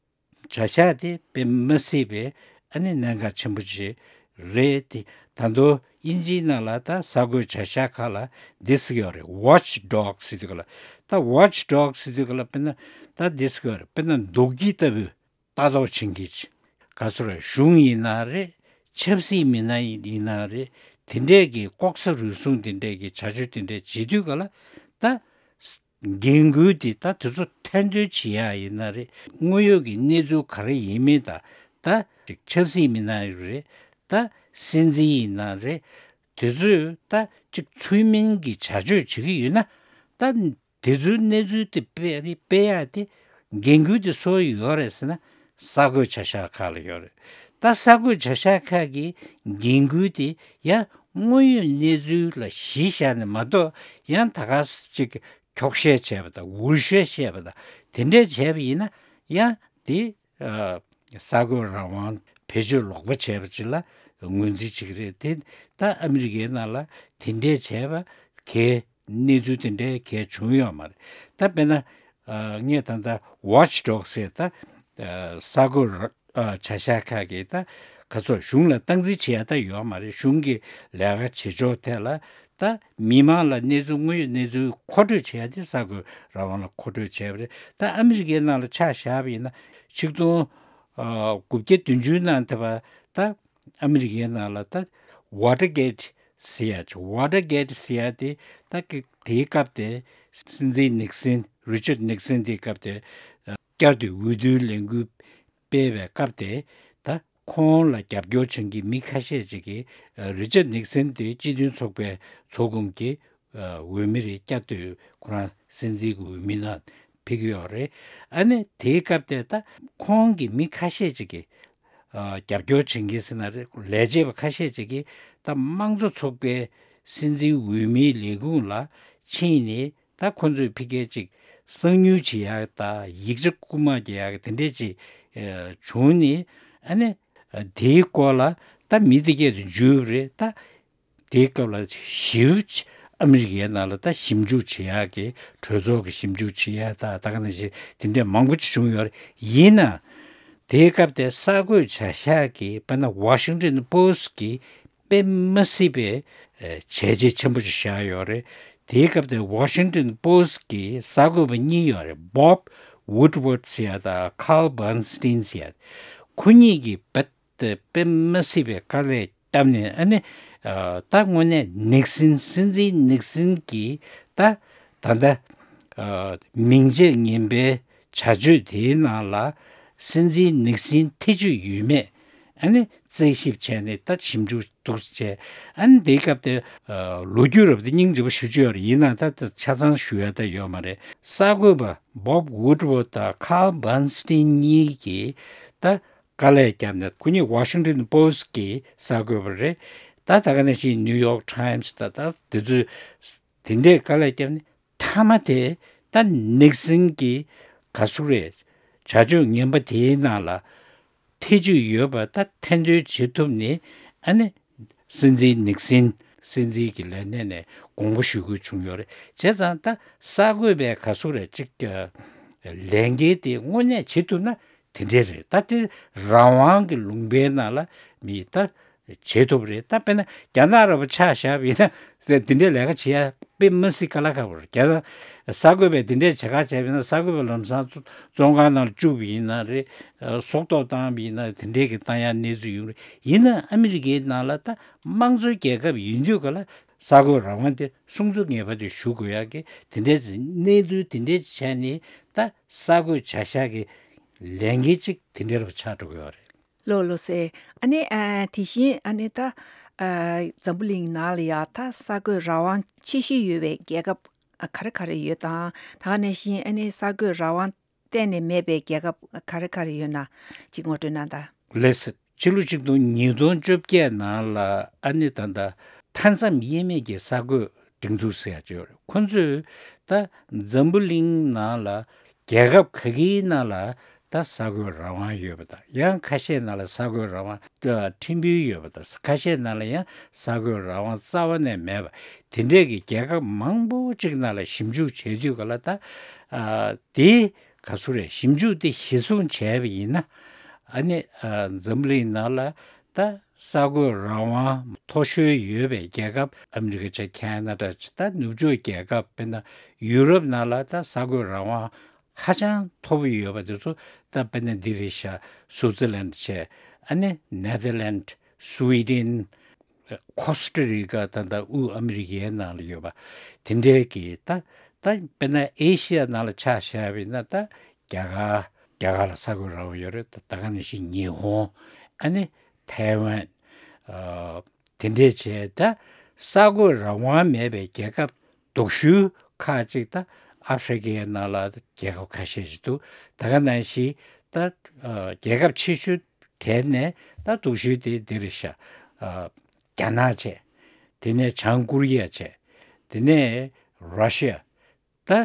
གཞག་དེ་དཔེ་མི་སྲིད་པའི་ཨ་ནི་གནད་འགག་ཆེན་པོ་ཅིག་རེད་དེ། ད་དུང་དབྱིན་ཇིའི་ནང་ལ་ད་གསར་འགོད་བྱ་གཞག་ཁག་ལ་འདི་ཟེར་གྱི་ཡོད་རེད། Watch Dogs ཟེར་དུས་ག་ལ། ད་Watch Dogs ཟེར་དུས་ག་ལ་དཔེར་ན་ད་འདི་ཟེར་གྱི་ཡོད་རེད། དཔེར་ན་རྡོག་སྐྱིལ་ལྟ་བུ་ལྟ་རྟོག་བྱེད་མཁན་ཅིག་ག་ཚོད་རེད། གཞུང་ཡིན་ན་རེད། ཆབ་སྲིད་མི་སྣ་ཡིན་ན་རེད། དེ་འདྲས་ཀྱི་ལྐོག་ཟ་རུལ་སུངས་དེ་འདྲས་ཀྱི་བྱ་སྤྱོད་དེ་འདྲས་བྱེད་དུས་ག་ལ་ད་འགན་འཁུར་དེ་ད་དེ་ཚོ་ཐེར་འདོན་བྱེད་ཡག་ཡིན་ན་རེད། དངོས་ཡོད་ཀྱི་གནས་ཚུལ་ག་རེ་ཡིན་མིན་དང་། ད་ཅིག་ཆབ་སྲིད་མི་སྣ་རེད། ད་སྲིད་འཛིན་ཡིན་ན་རེད། དེ་ཚོས་ད་ཅིག་ཚུལ་མིན་གྱི་བྱ་སྤྱོད་བྱེད་ཀྱི་ཡོད་ན། ད་དེ་ཚོའི་གནས་ཚུལ་དེ་སྤེལ་སྤེལ་ཡག་དེ་འགན་འཁུར་དེ་སུ་ཡོད་རེད་ཟེར་ན། གསར་འགོད་བྱ་གཞག་ཁག་ལ་ཡོད་རེད། ད་གསར་འགོད་བྱ་གཞག་ཁག་གི་འགན་འཁུར་དེ་ཡང་དངོས་ཡོད་གནས་ཚུལ་ལ་གཞི་བཞག་ནས་མ་གཏོགས། ཡང་ད་ག་ཅིག་འཁྱོག་བཤད་བྱས་པ་དང་འུར་བཤད་བཤད་པ་དང་དེ་འདྲས་བྱས་པ་ཡིན་ན་ཡང་དེ་ཨ་གསར་འགོད་རང་དབང་བེད་ བེད་སྤྱོད་ལོག་པ་བྱས་པ་ཅིག་ལ་ངོས་འཛིན་བྱེད་ཀྱི་རེད། དེ་ད་ཨ་མི་རི་ཀའི་ནང་ལ་དེ་འདྲས་བྱས་པ་གས་གནས་ཚུལ་དེ་འདྲའི་གས་བྱུང་ཡོད་མ་རེད། ད་དཔེར་ན་ངས་ད་ལྟ་Watch Dogs ཟེར་ད་གསར་འགོད་བྱ་གཞག་ཁག་གིས་ད་ག་ཚོད་གཞུང་ལ་སྟངས་འཛིན་བྱེད་ཡ་ད་ཡོད་མ་རེད། གཞུང་གི་ལས་ཀ་བྱེད་ཕྱོགས་ཐད་ལ་ད་མི་མང་ལ་གནས་ཚུལ་དངོས་ཡོད་གནས་ཚུལ་མཁོ་སྤྲོད་བྱེད་ཡ་དེ་གསར་འགོད་རང་དབང་ལ་མཁོ་སྤྲོད་བྱས་པ་རེད། ད་ཨ་མི་རི་ཀའི་ནང་ལ་ཆ་བཞག་པ་ཡིན་ན་ཆིག་སྟོང་དགུ་བརྒྱ་བདུན་ཅུ་ནང་ཐེ་བ་ད་ཨ་མི་རི་ཀའི་ནང་ལ་ད་Watergate ཟེར་ཡ་ཅིག Watergate ཟེར་ཡ་དེ་ད་གི་དེའི་སྐབས་དེ་སྲིད་འཛིན་ནིག་སིན་Richard Nixon དེའི་སྐབས་དེ་བསྐྱར་དུ་འོས་བསྡུའི་ལས་འགུལ་སྤེལ་བའི་སྐབས་དེ་ད་ཁོང་ལ་རྒྱབ་སྐྱོར་བྱེད་མཁན་གྱི་མི་ཁ་ཤས་ཅིག་གིས་Richard Nixon དེ་སྤྱི་མཐུན་ཚོགས་པའི་ཚོགས་འཁོར་གྱི་འོས་མི་རེད། བསྐྱར་དུ་ཁོ་རང་སྲིད་འཛིན་གྱི་འོས་མི་ནང་ཕེབས་ཀྱི་ཡོད་རེད། ཨ་ནི་དེའི་སྐབས་དེ་ད་ཁོང་གི་མི་ཁ་ཤས་ཅིག་གིས་རྒྱབ་སྐྱོར་བྱེད་མཁན་ཟེར་ན་རེད། ལས་བྱེད་པ་ཁ་ཤས་ཅིག་གིས་ད་དམངས་གཙོ་ཚོགས་པའི་སྲིད་འཛིན་འོས་མིའི་ལས་ཁུངས་ལ་ཕྱིན་ནས་ད་ཁོ་ཚོས་ཕ་གིར་ཅིག་གསང་ཉུལ་བྱེད་ཡག་ད་ཡིག་ཆ་རྐུ་མ་རྒྱག་ཡག་དེ་འདྲས་ཅིག་བྱུང་ནས་ཨ་ནི་དེའི་སྐོར་ལ་ད་མི་དེ་གས་དུ་འཇུས་པ་རེད། ད་དེའི་སྐབས་ལ་ཞིབ་ཨ་མི་རི་ཀའི་ནང་ལ་ད་ཞིབ་འཇུག་བྱེད་ཡག་གི་གྲོས་ཚོགས་ཀྱི་ཞིབ་འཇུག་བྱེད་ཡག་ད་ད་ག་ནང་བཞིན་དེ་འདྲས་མང་པོ་ཅིག་བྱུང་ཡོད་རེད། ཡིན་ན་དེའི་སྐབས་དེ་གསར་འགོད་བྱ་གཞག་གི་དཔེར་ན་Washington Post གི་དཔེ་མ་སྲིད་པའི་བྱས་རྗེས་ཆེན་པོ་ཅིག་བཞག་ཡོད་རེད། དེའི་སྐབས་དེ་Washington Post གི་གསར་འགོད་པ་གཉིས་ཡོད་རེད། Bob Woodward ཟེར་ཡ་དང་Carl Bernstein ཟེར་ཡ། ཁོ་གཉིས་ཀྱིས་རྦད་དེ་དཔེ་མ་སྲིད་པའི་དཀའ་ལས་བརྒྱབ་ནས་ཨ་ནི་ད་དངོས་གནས་ནིག་སིན་སྲིད་འཛིན་ནིག་སིན་གྱི་ད་ད་ལྟ་མིང་ཆད་ངན་པའི་བྱ་སྤྱོད་དེའི་ནང་ལ་སྲིད་འཛིན་ནིག་སིན་ཐེ་བྱུས་ཡོད་མེད་ཨ་ནི་རྩད་ཞིབ་བྱས་ནས་ད་ཞིབ་འཇུག་འདུག་བྱས། ཨ་ནི་དེའི་སྐབས་དེ་ལོ་རྒྱུས་རབ་དེ་སྙིང་རྗེ་པོ་ཞེ་པོ་ཅིག་ཡོད་རེད། ཡིན་ན་ད་ད་ཆ་ཚང་ཞུ་ཡ་ད་ཡོད་མ་རེད། གསར་འགོད་པ་Bob Woodward དང་Carl Bernstein གཉིས་ཀྱིས་ད་དཀའ་ལས་བརྒྱབ་ནས་ཁོ་གཉིས་Washington Post གི་གསར་འགོད་པ་རེད། ད་ད་ག་ནང་བཞིན་New York Times ད་ད་དེ་ཚོས་དེ་འདྲའི་དཀའ་ལས་བརྒྱབ་ནས་མཐའ་མ་དེ་ད་ནིག་སིན་གྱི་ག་ཟེར་རེད། བྱ་སྤྱོད་ངན་པ་དེའི་ནང་ལ་ཐེ་བྱུས་ཡོད་པ་ད་ཐེར་འདོན་བྱེད་ཐུབ་ནས་ཨ་ནི་སྲིད་འཛིན་ནིག་སིན་སྲིད་འཛིན་གྱི་ལས་གནས་ནས་དགོངས་པ་ཞུ་དགོས་བྱུང་ཡོད་རེད། བྱས་ཙང་ད་གསར་འགོད་པའི་ག་ཟེར་རེད་ཅིག་ལས་འགན་དེ་དངོས་གནས་བྱེད་ཐུབ་ན་དེ་འདྲས་རེད། ད་དེ་རང་དབང་གི་ལུང་པའི་ནང་ལ་མི་ད་བྱེད་ཐུབ་རེད། ད་དཔེར་ན་རྒྱ་ནག་ར་བ་ཆ་བཞག་པ་ཡིན་ན་དེ་འདྲའི་ལས་ཀ་བྱེད་ཡ་དཔེ་མ་སྲིད་དཀའ་ལས་ཁག་པོ་རེད། རྒྱ་ནག་གསར་འགོད་པས་དེ་འདྲའི་བྱེད་ཁ་བྱས་པ་ཡིན་ན་གསར་འགོད་པ་ལམ་སང་བཙོན་ཁང་ནང་ལ་བཅུག་པ་ཡིན་ན་རེད། སྲོག་ཐོག་བཏང་བ་ཡིན་ན་དེ་འདྲའི་གི་བཏང་ཡ་གནས་ཚུལ་ཡོང་རེད། ཡིན་ན་ཨ་མི་རི་ཀའི་ནང་ལ་ད་དམངས་གཙོའི་རྒྱལ་ཁབ་ཡིན་དུས་ག་ལ་གསར་འགོད་རང་དབང་དེ་སྲུང་སྐྱོབ་ངེས་པར་དུ་ཞུ་དགོས་ཡ་གི་དེ་འདྲའི་གནས་ཚུལ་དེ་འདྲའི་བྱས་ནས་ད་གསར་འགོད་བྱ་གཞག་གི་ལས་འགན་ཅིག་དེ་འདྲ་རུ་ཆགས་འགྲོ་གི་ཡོད་རེད། ལགས་ལགས་སེ། ཨ་ནི་ཨ་དེ་བཞིན་ཨ་ནི་ད་ཨ་འཛམ་བུ་གླིང་ནང་ལ་ཡ་ད་གསར་འགོད་རང་དབང་ཆེ་ཤོས་ཡོད་པའི་རྒྱལ་ཁབ་ཨ་ག་རེ་ག་རེ་ཡོད་དང་། ད་ག་ནང་བཞིན་ཨ་ནི་གསར་འགོད་རང་དབང་གཏན་ནས་མེད་པའི་རྒྱལ་ཁབ་ག་རེ་ག་རེ་ཡོད་ན་ཅིག་ངོ་སྤྲོད་གནང་དང་། ལགས་སེ། ཕྱི་ལོ་ཆིག་སྟོང་ཉིས་སྟོང་བཅོ་བརྒྱད་ནང་ལ་ཨ་ནི་ད་ལྟ་མཐའ་མཚམས་དབྱེ་མེད་ཀྱི་གསར་འགོད་སྒྲིག་འཛུགས་ཟེར་ཡ་ཅིག་ཡོད་རེད། ཁོ་ཚོས་ད་འཛམ་བུ་གླིང་ནང་ལ་རྒྱལ་ཁབ་ག་གིའི་ནང་ལ་ད་གསར་འགོད་རང་དབང་ཡོད་པ་དང་། ཡང་ཁ་ཤས་ནང་ལ་གསར་འགོད་རང་དབང་ཕྲན་བུ་ཡོད་པ་དང་། ཁ་ཤས་ནང་ལ་ཡང་གསར་འགོད་རང་དབང་རྩ་བ་ནས་མེད་པ་དེ་འདྲས་ཀྱི་རྒྱལ་ཁབ་མང་པོ་ཅིག་ནང་ལ་ཞིབ་འཇུག་བྱེད་དུས་ག་ལ་ད་ཨ་དེ་ག་ཟེར་རེད། ཞིབ་འཇུག་དེ་གཞིར་བཟུང་བྱས་པ་ཡིན་ན་ཨ་ནི་ཨ་འཛམ་བུ་གླིང་ནང་ལ་ད་གསར་འགོད་རང་དབང་མཐོ་ཤོས་ཡོད་པའི་རྒྱལ་ཁབ་ཨ་མི་རི་ཀ་བྱས། ཁེ་ན་ཌ་བྱས། ད་ནུབ་ཕྱོགས་རྒྱལ་ཁབ་དཔེར་ན་ཡུ་རོབ་ནང་ལ་ད་གསར་འགོད་རང་དབང་ཧ་ཅང་མཐོ་པོ་ཡོད་པ་དེ་ཚོ་ད་དཔེར་ན་འདི་རེད་ཤག་སུའུ་ཙི་ལན་བྱས། ཨ་ནི་ནེ་ཐར་ལན། སུའི་ཌེན། ཁོ་སི་ཊ་རི་ཀ། ད་ལྟ་དབུས་ཨ་མི་རི་ཀའི་ནང་ལ་ཡོད་པ་དེ་འདྲའི་གི་ད་ད་དཔེར་ན་ཨེ་ཤི་ཡ་ནང་ལ་ཆ་བཞག་པ་ཡིན་ན་ད་རྒྱ་གར། རྒྱ་གར་ལ་གསར་འགོད་རང་དབང་ཡོད་རེད། ད་ད་ག་ནང་བཞིན་ཉི་ཧོང་། ཨ་ནི་ཐའེ་ཝན། ཨ་དེ་འདྲས་བྱས། ད་གསར་འགོད་རང་དབང་མེད་པའི་རྒྱལ་ཁབ་སྡུག་ཤོས་ཁག་ཅིག་ད་ཨ་ཧྥི་རི་ཀའི་ནང་ལ་རྒྱལ་ཁབ་ཁ་ཤས་ཤིག་འདུག་ད་ག་ནང་བཞིན་ད་ཨ་རྒྱལ་ཁབ་ཆེ་ཤོས་གྲས་ནས་ད་སྡུག་ཤོས་དེ་འདི་རེད་ཤག་ཨ་རྒྱ་ནག་བྱས། དེ་ནས་བྱང་ཀོ་རི་ཡ་བྱས། དེ་ནས་ར་ཤི་ཡ། ད་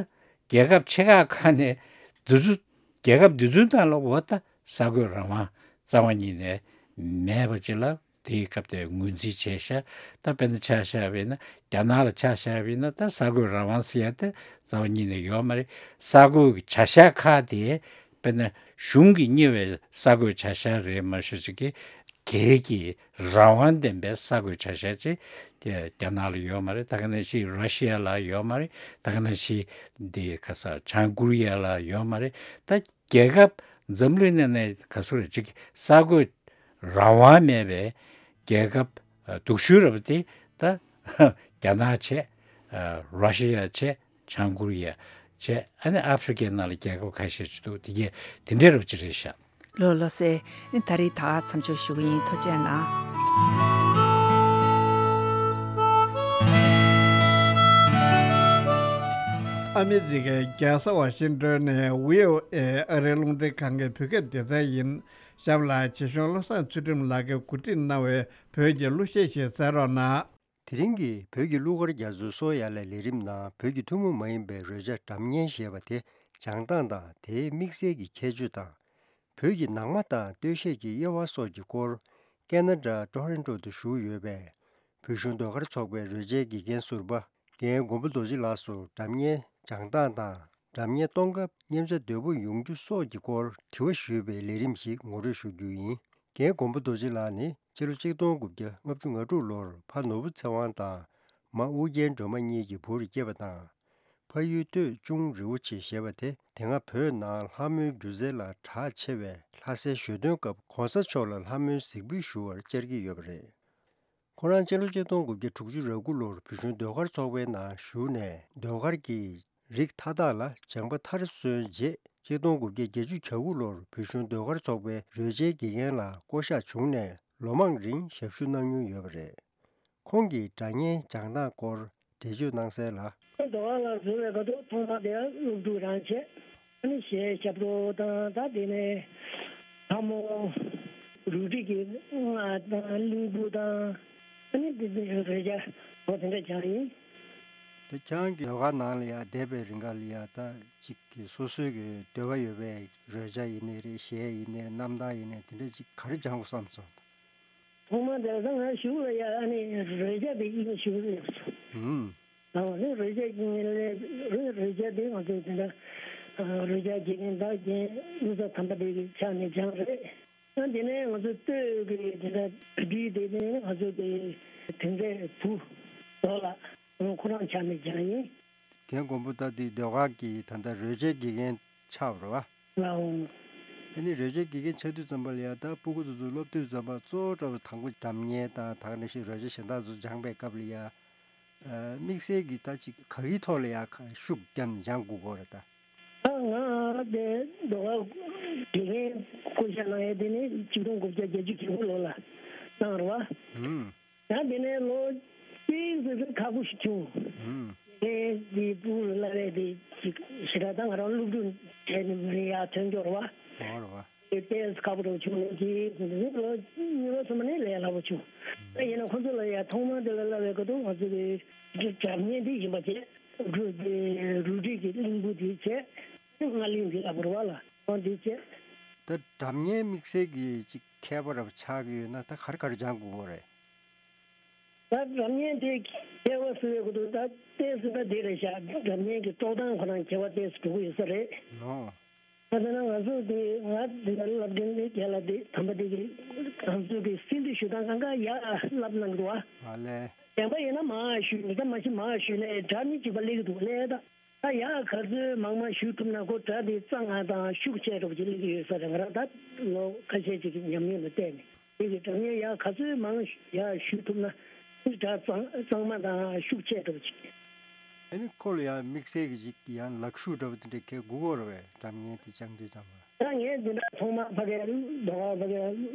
རྒྱལ་ཁབ་ཆེ་ཁག་ཁག་ནས་འདི་ཚོ་རྒྱལ་ཁབ་འདི་ཚོའི་ནང་ལ་འོ་ད་གསར་འགོད་རང་དབང་རྩ་བ་ཉིད་ནས་ མེད་པ་ཅིག་ལ་དེའི་སྐབས་དེ་ངོས་འཛིན་བྱས་ཤག་ད་དཔེར་ན་ཆ་བཞག་པ་ཡིན་ན་རྒྱ་ནག་ལ་ཆ་བཞག་པ་ཡིན་ན་ད་གསར་འགོད་རང་དབང་ཟེར་ཡ་དེ་རྩ་བ་ཉིད་ནས་ཡོད་མ་རེད། གསར་འགོད་ཀྱི་བྱ་གཞག་ཁག་དེ་དཔེར་ན་གཞུང་གིས་གཉེར་བའི་གསར་འགོད་བྱ་གཞག་རེད་མ་གཞི་ཅིག་གི་སྒེར་གྱི་རང་དབང་ལྡན་པའི་གསར་འགོད་བྱ་གཞག་ཅིག་དེ་རྒྱ་ནག་ལ་ཡོད་མ་རེད། ད་ག་ནང་བཞིན་ར་ཤི་ཡ་ལ་ཡོད་མ་རེད། ད་ག་ནང་བཞིན་འདི་ག་ས་བྱང་ཀོ་རི་ཡ་ལ་ཡོད་མ་རེད། ད་རྒྱལ་ཁབ་འཛམ་གླིང་ནང་ནས་ག་ཚོད་རེད་ཅིག་གསར་འགོད་རང་དབང་མེད་པའི་རྒྱལ་ཁབ་སྡུག་ཤོས་རབ་དེ་ད་རྒྱ་ནག་བྱས། ར་ཤི་ཡ་བྱས། བྱང་ཀོ་རི་ཡ་བྱས། ཨ་ནི་ཨ་ཧྥི་རི་ཀའི་ནང་ལ་རྒྱལ་ཁབ་ཁ་ཤས་ཅིག་འདུག་དེ་གས་དེ་འདྲའི་རབ་ཅིག་རེད་ཤག་ལོ་ལོ་སེ། ཨ་ནི་ད་རེས་ད་མཚམས་འཇོག་ཞུ་གི་ཡིན། ཐུགས་རྗེ་གནང་། ཨ་མི་རི་ཀའི་རྒྱལ་ས་ཝ་ཤིང་ཏོན་ནས་བྷི་ཨོ་ཨེ་ཨ་རིའི་རླུང་འཕྲིན་ཁང་གི་བོད་སྐད་སྡེ་ཚན་ཡིན། གཤམ་ལ་ཆེ་གཞུང་བློ་བཟང་ཚུལ་ཁྲིམས་ལགས་ཀྱིས་གོ་སྒྲིག་གནང་བའི་བོད་ཀྱི་གླུ་གཞས་ཤིག་གསན་རོགས་གནང་། དེ་རིང་གི་བོད་ཀྱི་གླུ་གར་རྒྱ་མཚོའི་སོ་ཡ་ལ་ལས་རིམ་ནང་བོད་ཀྱི་ཐུན་མོང་མ་ཡིན་པའི་རོལ་ཆ་སྒྲ་སྙན་ཞེས་པ་དེ་སྦྱང་སྟངས་དང་དེའི་དམིགས་བསལ་གྱི་ཁྱད་ཆོས་དང་། བོད་ཀྱི་ནང་མ་དང་སྟོད་གཞས་ཀྱི་དབྱེ་བ་སོགས་ཀྱི་སྐོར་ཁེ་ན་ཌ་ཊོ་རོན་ཊོ་དུ་བཞུགས་ཡོད་པའི་བོད་གཞུང་ཟློས་གར་ཚོགས་པའི་རོལ་ཆའི་དགེ་རྒན་ཟུར་པ་རྒན་མགོན་པོ་རྡོ་རྗེ་ལགས་སུ་སྒྲ་སྙན་སྦྱང་སྟངས་དང་། སྒྲ་སྙན་གཏོང་སྐབས་མཉེན་ཆ་དོད་པོ་ཡོང་རྒྱུ་སོགས་ཀྱི་སྐོར་དྲི་བ་ཞུས་པའི་ལས་རིམ་ཞིག་ངོ་སྤྲོད་ཞུ་རྒྱུ་ཡིན། རྒན་མགོན་པོ་རྡོ་རྗེ་ལགས་ནི་སྤྱི་ལོ་ཆིག་སྟོང་དགུ་བརྒྱ་ལྔ་བཅུ་ང་དྲུག་ལོར་ཕ་ནོར་བུ་ཚེ་དབང་དང་མ་ཨུ་རྒྱན་སྒྲོལ་མ་གཉིས་ཀྱི་བུར་སྐྱེས་པ་དང་། ཕ་ཡུལ་སྟོད་ཅུང་རི་བོ་ཆེ་ཞེས་པ་དེ་དེ་སྔ་བོད་ནང་ལྷ་མོའི་སྒྱུ་རྩལ་ལ་གྲགས་ཆེ་བས། ལྷ་སའི་ཞོ་སྟོན་སྐབས་གོང་ས་མཆོག་ལ་ལྷ་མོའི་གཟིགས་འབུལ་ཞུ་བར་བཅར་གྱི་ཡོད་པ་རེད། ཁོ་རང་སྤྱི་ལོ་ཆིག་སྟོང་དགུ་བརྒྱ་དྲུག་ཅུ་རེ་དགུ་ལོར་བོད་གཞུང་ཟློས་གར་ཚོགས་པའི་ནང་ཞུགས་ནས་ཟློས་གར་གྱི་རིགས་མཐའ་དག་ལ་སྦྱངས་པ་མཐར་སོན་རྗེས། ཆིག་སྟོང་དགུ་བརྒྱ་བརྒྱད་ཅུ་གྱ་དགུ་ལོར་བོད་གཞུང་ཟློས་གར་ཚོགས་པའི་རོལ་ཆའི་དགེ་རྒན་ལ་བསྐོ་གཞག་བྱུང་ནས་ལོ་མང་རིང་ཞབས་ཞུ་གནང་མྱོང་ཡོད་པ་རེད། ཁོང་གིས་སྒྲ་སྙན་སྦྱང་སྟངས་སྐོར་འགྲེལ་བརྗོད་གནང་གསལ་ལ། ཟློས་གར་ལ་འཛུལ་བའི་སྐབས་དུ་ཐོག་མ་དེ་སློབ་ཕྲུག་རང་བྱས། ཨ་ནི་གཞས་ཞབས་བྲོ་དང་ད་དེ་ནས་ལྷ་མོ། རུ་སྒྲིག་གི་རྔ་དང་གླིང་བུ་དང་། ཨ་ནི་དེ་དེ་རེ་བྱ་འོ་དེ་འདྲ་སྦྱངས་ཡིན། དེ་ཁྱེད་རང་གི་ཟློས་གར་ནང་ལ་ཡ་བསྡད་པའི་རིང་ག་ལ་ཡ་ད་ཅིག་གི་སོ་སོའི་གི་འདོད་པ་ཡོད་པའི་རོལ་ཆ་ཡིན་ནའི་རེད། གཞས་ཡིན་ནའི་རེད། རྣམ་ཐར་ཡིན་ནའི་དེ་འདྲ་ཅིག་ག་རེ་སྦྱང་དགོས་བསམ་སོང་། ཐོག་མ་དེ་ད་ང་གཞུག་ལ་ཡ་ཨ་ནི་རོལ་ཆ་དེ་ཡིན་གཞུག་ལ་ཡོད་སོང་། ཨང་། ཨ་ནི་རོལ་ཆ་ཡིན་ལས་རོལ་རོལ་ཆ་དེ་ང་ཚོ་དེ་འདྲ་རོལ་ཆ་དགེ་རྒན་བདག་རྒན་གླུ་གར་དམ་པ་དེ་གི་ཕྱག་ནས་སྦྱངས་རེད། ཨ་དེ་ནས་ང་ཚོ་སྟོད་ཀྱི་དེ་འདྲ་བུ་ཁྲིད་དེ་ནས་ང་ཚོ་དེ་དེ་འདྲའི་བུ་རྡོ་ལ་ཁོ་རང་ཕྱག་ནས་སྦྱངས་ཡིན། རྒན་མགོན་པོ་ད་དེ་ཟློས་གར་གྱི་ད་ལྟ་རོལ་ཆའི་དགེ་རྒན་ཆགས་པ་རེད་བ། ལའོ། ཨ་ནི་རོལ་ཆའི་དགེ་རྒན་ཆགས་དུས་ཙམ་པ་ལ་ཡ་ད་སྤུ་གུ་ཚོ་ཚོ་སློབ་དུས་ཙམ་པ་གཙོ་བོ་འདྲ་བོ་དང་པོ་སྒྲ་སྙན་དང་ད་ག་ནང་བཞིན་རོལ་ཆ་གཞན་དག་ཚོ་སྦྱངས་པའི་སྐབས་ལ་ཡ། ཨ་དམིགས་བསལ་གྱི་ད་ཅིག་ག་གི་ཐོག་ལ་ཡ་ཁ་ཤུགས་བརྒྱབ་ནས་སྦྱང་དགོས་ཀྱི་རེད་ད། ད་ང་དེ་ཟློས་གར་དགེ་རྒན་བསྐོ་བཞག་གནང་ཡས་དེ་ནི་ཆིག་སྟོང་དགུ་བརྒྱ་བརྒྱད་ཅུ་གྱ་དགུ་ལོ་ལ་གནང་རེད་བ། ཧུམ། ཡང་དེ་ནས་ལོ་གཅིག་ཙམ་ཁག་པོ་ཞིག་བྱུང་། ཧུམ། དེ་དེ་སྤུ་གུ་ལ་བསླབ་ཡས་དེ་ཅིག་ཞེ་དྲག་ད་ང་རང་སློབ་ཕྲུག་བྱས་ནས་མི་ཡར་ཐོན་ཀྱོག་རེད་བ། ཨོ་རེད་བ། དེ་ཏོག་ཙམ་ཁག་པོ་འདྲ་བྱུང་ལོ་གཅིག་ཙམ་དེ་ལོ་གཉིས་པ་གསུམ་པ་ནས་ལས་སླ་པོ་བྱུང་། ད་ཡིན་ན་ཁོ་ཚོ་ལ་ཡ་ཐོག་མར་དེ་ལ་བསླབ་པའི་སྐབས་དུ་ང་ཚོ་གི་སྒྲ་སྙན་དེ་ཡིན་པ་བྱས། རུ་དེ་རུ་སྒྲིག་གི་གླིང་བུ་དེ་བྱས། རྔ་གླིང་དེ་ལ་བོར་བ་ལ་ཁོང་དེ་བྱས། ད་སྒྲ་སྙན་དམིགས་བསལ་གྱི་ཅིག་མཁས་པ་རབ་ཆགས་ཀྱི་ཡོད་ན་ད་ག་རེ་ག་རེ་སྦྱང་དགོས་ཀྱི་རེད། ད་སྒྲ་སྙན་དེ་མཁས་པ་ཟེར་བའི་སྐབས་དུ་ད་ཏོག་ཙམ་ད་དེ་རེད་ཤག་སྒྲ་སྙན་གྱི་རྟོགས་སྟངས་ཁོ་རང་ཁྱད་པར་ཏོག་ཙམ་འགྲོ་གི་ཡོད་ས་རེད། ཨོ། ད་དེ་ན་ང་ཚོ་དེ་ང་དེ་ལ་བསླབ་མཁན་དེ་རྒན་ལགས་དེ་དམ་པ་དེ་གི་ང་ཚོ་དེ་སིལ་དུ་ཞུ་སྟངས་གང་ག་ཡག་བསླབ་གནང་འདུག་བ། ཨ་ལས། བདེན་པ་ཡིན་ན་མང་ཞུས་མི་ད་མ་ཤི་མང་ཞུས་ནས་སྒྲ་ནི་གཅིག་པ་སླེབས་ཀྱི་འདུག་ལས་ད། ད་ཡག་ག་ཚོད་མང་མང་ཞུ་ཐུབ་ན་ཁོ་སྒྲ་དེ་གཙང་མ་དང་ཤུགས་ཆེ་འགྲོ་བ་ཅིག་སླེབས་ཀྱི་ཡོད་ས་རེད། ང་རང་ད་ལོ་ཁ་ཤས་ཅིག་གི་ཉམས་མྱོང་ལ་བལྟས་ནས་དེ་གི་སྒྲ་སྙན་ཡག་ག་ཚོད་མང་ཡག་ཞུ་ཐུབ་ན་སྒྲ་གཙང་གཙང་མ་དང་ཤུགས་ཆེ་འགྲོ་བ་ཅིག་ཨ་ནི་ཁོ་ལ་ཡང་དམིགས་བསལ་གྱི་ཅིག་ཡང་ལག་ཤུབས་འདྲ་བོ་དེ་འདྲ་གས་དགོས་ཀྱི་རེད་བས། སྒྲ་སྙན་དེ་སྦྱང་དུས་ཙམ་པ། ད་ངས་འདི་འདྲ་ཐོག་མར་ཕ་གིའི་ཟློས་གར་ཕ་གིའི་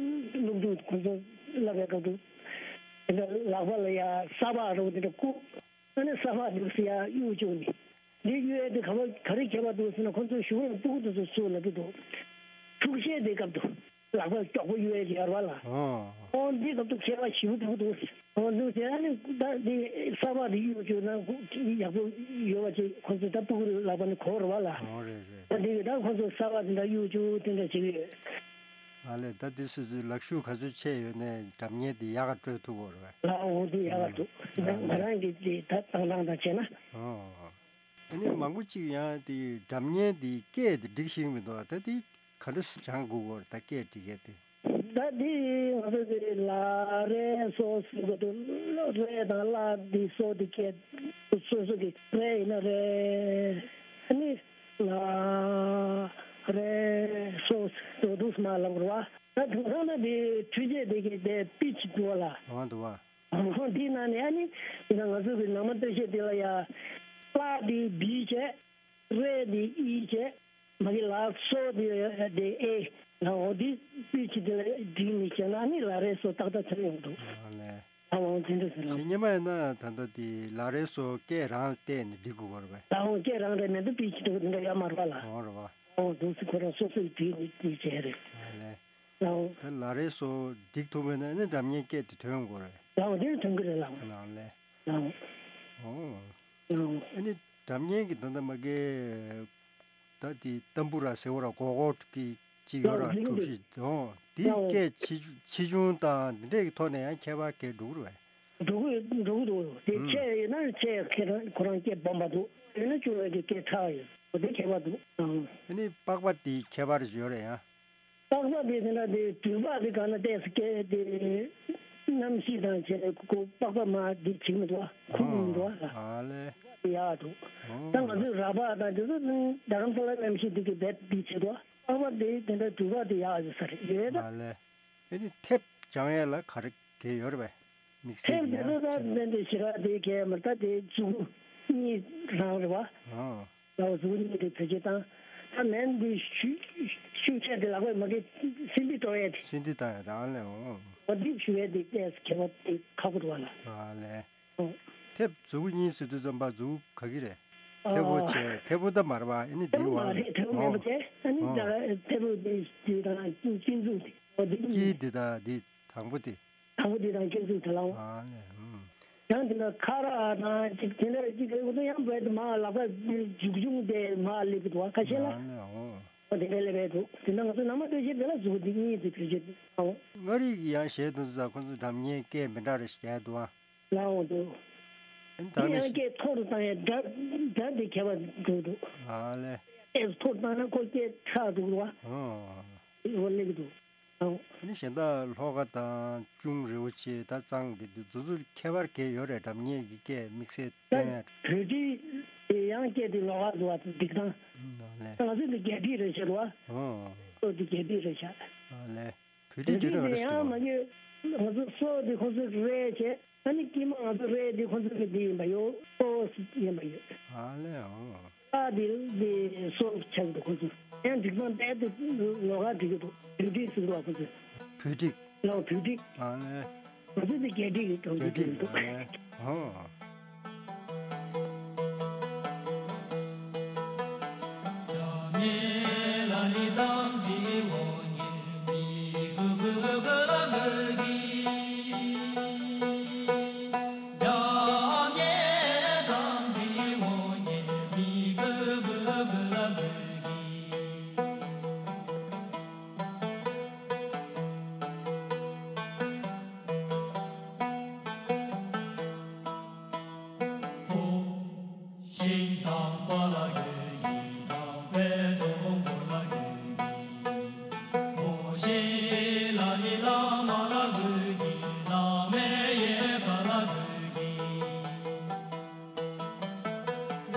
སློབ་ཕྲུག་ཁོ་ཚོ་བསླབ་པའི་སྐབས་དུ་དེ་འདྲ་ལག་པ་ལ་ཡ་ས་ཕག་འདྲ་བོ་དེ་འདྲ་བཀུག་ཨ་ནི་ས་ཕག་འདུག་སེ་ཡར་གཡུག་བཅུག་ནས། འདི་གཡུག་ཡས་དེ་ག་པར་ག་རེ་ཁྱད་པར་འདུག་ཟེར་ན་ཁོ་ཚོ་གཞུག་ལ་སྤུ་གུ་དེ་ཚོ་ཚུར་ལབ་ཀྱི་འདུག་འཁྲུག་ཆས་དེ་སྐབས་དུ་ལག་པ་མགྱོགས་པོ་གཡུག་ཡས་ཡོད་རེད་བ་ལ། ཨོ། ཨོ་འདི་སྐབས་དུ་ཁྱད་པར་ཞེ་པོ་འདུག་འདུག་ཨོ་འདུག་ཟེར། ཨ་ནི་ད་འདི་ས་ཕག་དེ་གཡུག་བཅུག་ན་ཡག་པོ་ཡོད་པ་ཅིག་ཁོ་ཚོ་ད་སྤུ་གུ་ལག་པ་ནས་གོ་རེད་བ་ལ། ཨོ་རེད་རེད། ད་འདི་གི་ད་ཁོ་ཚོ་ས་ཕག་དེ་འདྲ་གཡུག་བཅུག་དེ་འདྲ་བྱེད་ཀྱི་ཡོད། ཨ་ལས། ད་འདི་སོ་སོའི་ལག་ཤུགས་ག་ཚོད་ཆེ་ཡོད་ནའི་སྒྲ་སྙན་འདི་ཡག་ག་སྤྲོད་ཐུབ་ཡོད་རེད་པས། ལགས་འོང་། འདི་ཡག་ག་འདུག་ང་ང་རང་གི་འདི་ད་བཏང་སྟངས་དང་བྱས་ན། ཨོ། ཨ་ནི་མང་པོ་ཅིག་ཡང་དེ་སྒྲ་སྙན་དེ་སྐད་དེ་འགྲིག་ཤེས་མི་འདུག་ད་དེ་ག་འདྲ་སྦྱང་དགོས་ཀྱི་ཡོད་རེད། ད་སྐད་འགྲིག་ཡས་དེ། ད་དེ་ང་ཚོ་དེ་ལ་རེ་སོ་ཟེར་གྱི་འདུག་རེ་དང་ལ་དེ་སོ་དེ་སྐད་སོ་སོ་གི་རེ་ཡིན་ན་རེ། ཨ་ནི་ལ་རེ་སོ་ཟེར་འདུག་མ་ལབ་རེད་པ། ད་དེང་སང་ན་དེ་འཕྲུལ་ཆས་དེ་གི་དེ་པི་ཆི་འདུག་པ་ལགས། འོ་འདུག་པ། འོ་འདི་ནང་ནས་ཨ་ནི་དེ་ན་ང་ཚོ་གི་ནང་མ་སྟོད་གཞས་དེ་ལ་ཡ། ལ་དེ་བི་བྱས། རེ་དེ་ཨི་བྱས། མ་གི་ལ་སོ་དེ་དེ་ཨེ། ལ་འོ་དེ་པི་ཆི་དེ་ལ་བསྒྲིགས་ནས་བྱས་ན་ཨ་ནི་ལ་རེ་སོ་ཏག་ཏག་ཐོན་ཡོང་འདུག་ཨ་ལས། ཨ་འོ་དེ་འདྲ་ཟེར་ལ། ཞེས་སྔོན་མ་ཡིན་ན་ད་ལྟ་དེ་ལ་རེ་སོ་སྐད་རང་བལྟས་ནས་འགྲིག་དགོས་པ་རེད་པས། ལ་འོ་སྐད་རང་རེད་མི་འདུག་པི་ཆི་དེ་འདྲ་ཡོད་མ་རེད་པ་ལགས། འོ་རེད་པ། འོ་འདུག་སེ་ཁོ་རང་སོ་སོས་བསྒྲིགས་ནས་དེ་བྱས་རེད། ཨ་ལས། ལགས་འོང་། ད་ལ་རེ་སོ་འགྲིག་ཐུབ་པ་ཡིན་ན་ཨ་ནི་སྒྲ་སྙན་སྐད་དེ་ཐོན་དགོས་རེད། ལགས་འོང་། དེ་ནི་ཐོན་གྱི་རེད་ལགས་འོང་། ལགས་ལས། ལགས་འོང་། ཨོ། ལགས་འོང་། ཨ་ནི་སྒྲ་སྙན་གྱི་ད་ལྟ་མ་གི་ད་དེ་ཏམ་བུ་ར་ཟེར་བ་ར་གོ་གོ་གི་ཅིག་ཡོད་ར། ལགས་འོང་། གྲུབ་གཞི་ཨོ་དེ་ལགས་འོང་། སྐད་ཆེ་ཆེ་ཆུང་དང་འདི་འདྲའི་ཐོག་ནས་ཡང་ཁྱད་པར་གས་འགྲོ་གི་རེད་པས། འགྲོ་གི་འགྲོ་གི་འདུག་དེ་ཨུམ། ཆེ་ཡོད་ན་ཆེ་ཁྱེད་རང་ཁོ་རང་སྐད་སྦོམ་པ་འདུག་ཡོད་ན་ཆུང་བའི་གི་སྐད་ཕྲ་བ་ཡོད། འོ་དེ་ཁྱད་པར་འདུག་ཨང་། ཨ་ནི་པགས་པ་དེ་ཁྱད་པར་ཡོད་རེད་ཡ། པགས་པ་དེ་དེ་འདྲ་དེ་དུས་པགས་དེ་ག་ན་བལྟས་སུ་སྐད་དེ་གནམ་གཤིས་དང་བྱས་ནས་ཁོ་པགས་པ་མ་དེ་བྱེད་མི་འདུག་ཨ། ཁུག་མི་འདུག་ཨ། ཨ་ལས། ཡག་འདུག་ཨོ། ད་ང་ཚོའི་ར་པ་དང་དེ་ཚོ་རྡ་རམ་ས་ལ་གནམ་གཤིས་དེ་གི་རྦད་དེ་བྱེད་འདུག་ཨ། པགས་པ་དེ་དེ་འདྲ་དུས་པགས་དེ་ཡག་ཡོད་ས་རེད་ཡོད་ད། ཨ་ལས། ཨ་ནི་ཐེབས་སྦྱང་ཡས་ལ་ག་རེ་གལ་ཡོད་རེད་པས། དམིགས་བསལ་ཐེབས་གྱི་དེ་ཡང་ཚོ་ད་ཆེ་ན། དེ་འདྲ་ཞེ་དྲག་དེ་གལ་མི་ད་དེ་མཛུབ་གུ་གཉིས་རང་རེད་པ། ཨོ། ལག་པ་མཛུབ་གུ་གཉིས་དེ་བེད་སྤྱོད་བཏང་། ད་མེན་དེ་ཤུ་ཤུགས་ཆེ་དེ་ལག་པས་མ་གི་སིན་དི་གཏོང་ཡས་དེ། སིན་དི་བཏང་ཡས་རང་ལས་འོང་། འོ་དེ་ཞུ་ཡས་དེ་ཏོག་ཙམ་ཁྱད་པར་དེ་ཁག་པོ་འདུག་པ་ལགས། ཨ་ལས། ཨོ། ཐེབས་མཛུབ་གུ་གཉིས་ཟེར་དུས་ཙམ་པ་མཛུབ་གུ་ག་གི་རེད། ཐལ་པོ་ཨ། བྱས་ཐལ་པོ་ད་མ་རེད་པ། ཨ་ནི་ཐལ་པོ་འདི་མ་རེད། ཐལ་པོ་མེད་པ་བྱས། ཨ་ནི་ཨོ། ད་ཐལ་པོ་འདི་འདི་དང་དཀྱིལ་མཛུབ་དེ། ཨོ་འདི་དཀྱིལ་འདི་དང་འདི་དང་པོ་དེ། དང་པོ་འདི་དང་དཀྱིལ་མཛུབ་དེ་ལ་འོང་། ཨ་ལས། ཨུམ། ཡང་འདི་ན་ཁ་ར་དང་ཅིག་དེ་འདྲ་ཅིག་རེད་འདུག་ཡང་བས་དེ་མ་ལག་པ་འཇུག་འཇུག་དེ་མ་སླེབས་འདུག་ཁ་ཤས་ལ། ཨ་ལས། ཨོ། ཨོ་དེ་འདྲ་སླེབས་འདུག་དེ་ན་ང་ཚོ་ནང་མ་སྟོད་གཞས་དེ་ལ་མཛུབ་འདི་གཉིས་དེ་བེད་སྤྱོད་ཨོ། མངའ་རིས་ཀྱི་ཡང་གཞས་དེ་ཚོ་ཁོ་ཚོ་སྒྲ་སྙན་སྐད་མི་འདྲ་རེ་ཞིག་རྒྱག་འདུག་ཨ། ལའང་འདུག་ཨ་ནི་ད་དེ་ནི་ཡང་སྐད་མཐོ་རུ་བཏང་ཡས་སྒྲ་སྒྲ་དེ་ཁྱད་པར་འགྲོ་འདུག་ཨ་ལས། སྐད་མཐོ་རུ་བཏང་ན་ཁོ་སྐད་ཕྲ་འགྲོ་གི་འདུག་བ། ཨོ། འོ་སླེབས་ཀྱི་འདུག་ཨོ། ཨ་ནི་གཞན་དག་ལྷོ་ཁ་དང་ཅུང་རི་བོ་ཆེ་ད་གཙང་གི་འདི་ཚོ་ཚོ་ཁྱད་པར་གས་ཡོད་རེད། སྒྲ་སྙན་གྱི་སྐད་དམིགས་བསལ་ད་སྟོན་ཡ། བོད་འབྲི་དེ་ཡང་སྐད་དེ་ལོགས་ཀ་འདུག་བ་འདུག་སྟངས། ཨ་ལས། ད་ང་ཚོ་འདི་རྒྱ་འབྲི་རེད་ཤག་བ། ཨོ། ཨོ་འདི་རྒྱ་འབྲི་རེད་ཤག་ཨ་ལས། བོད་རིགས་དེ་འདྲ་རེད་ཡང་མ་ཡོད། ང་ཚོ་སོ་དེ་ཁོ་ཚོས་རེད་བྱས། ཨ་ནི་དཀྱིལ་མ་ང་ཚོ་རེད་དེ་ཁོ་ཚོ་གི་དེ་ཡིན་པ་ཡོད། སོ་ཡིན་པ་ཡོད། ཨ་ལས། ཨོ། ཨ་དེ་དེ་སོ་ཆགས་འདུག་ཁོ་ཚོ་ཡང་འགྲིག་སྟངས་དཔེ་དེ་ལོགས་ཀ་འགྲིག་གི་འདུག་བོད་རིགས་ཟེར་བ་ཁོ་ཚོས། བོད་རིགས། ལའང་བོད་རིགས། ཨ་ལས། ང་ཚོ་དེ་རྒྱ་རིགས་ཀྱི་གྲོང་ཁྱེར་དེ་འདུག་ཨ་ལས། ཨོ། ཤིང་དང་པ་ལ་གོས་ཀྱི། དང་པོའི་དོ་པོ་ལ་གོས་ཀྱི། མོ་ཤེས་ལ་ནི་བླ་མ་ལ་གོས་ཀྱི། བླ་མའི་ཡལ་ག་ལ་གོས་ཀྱི།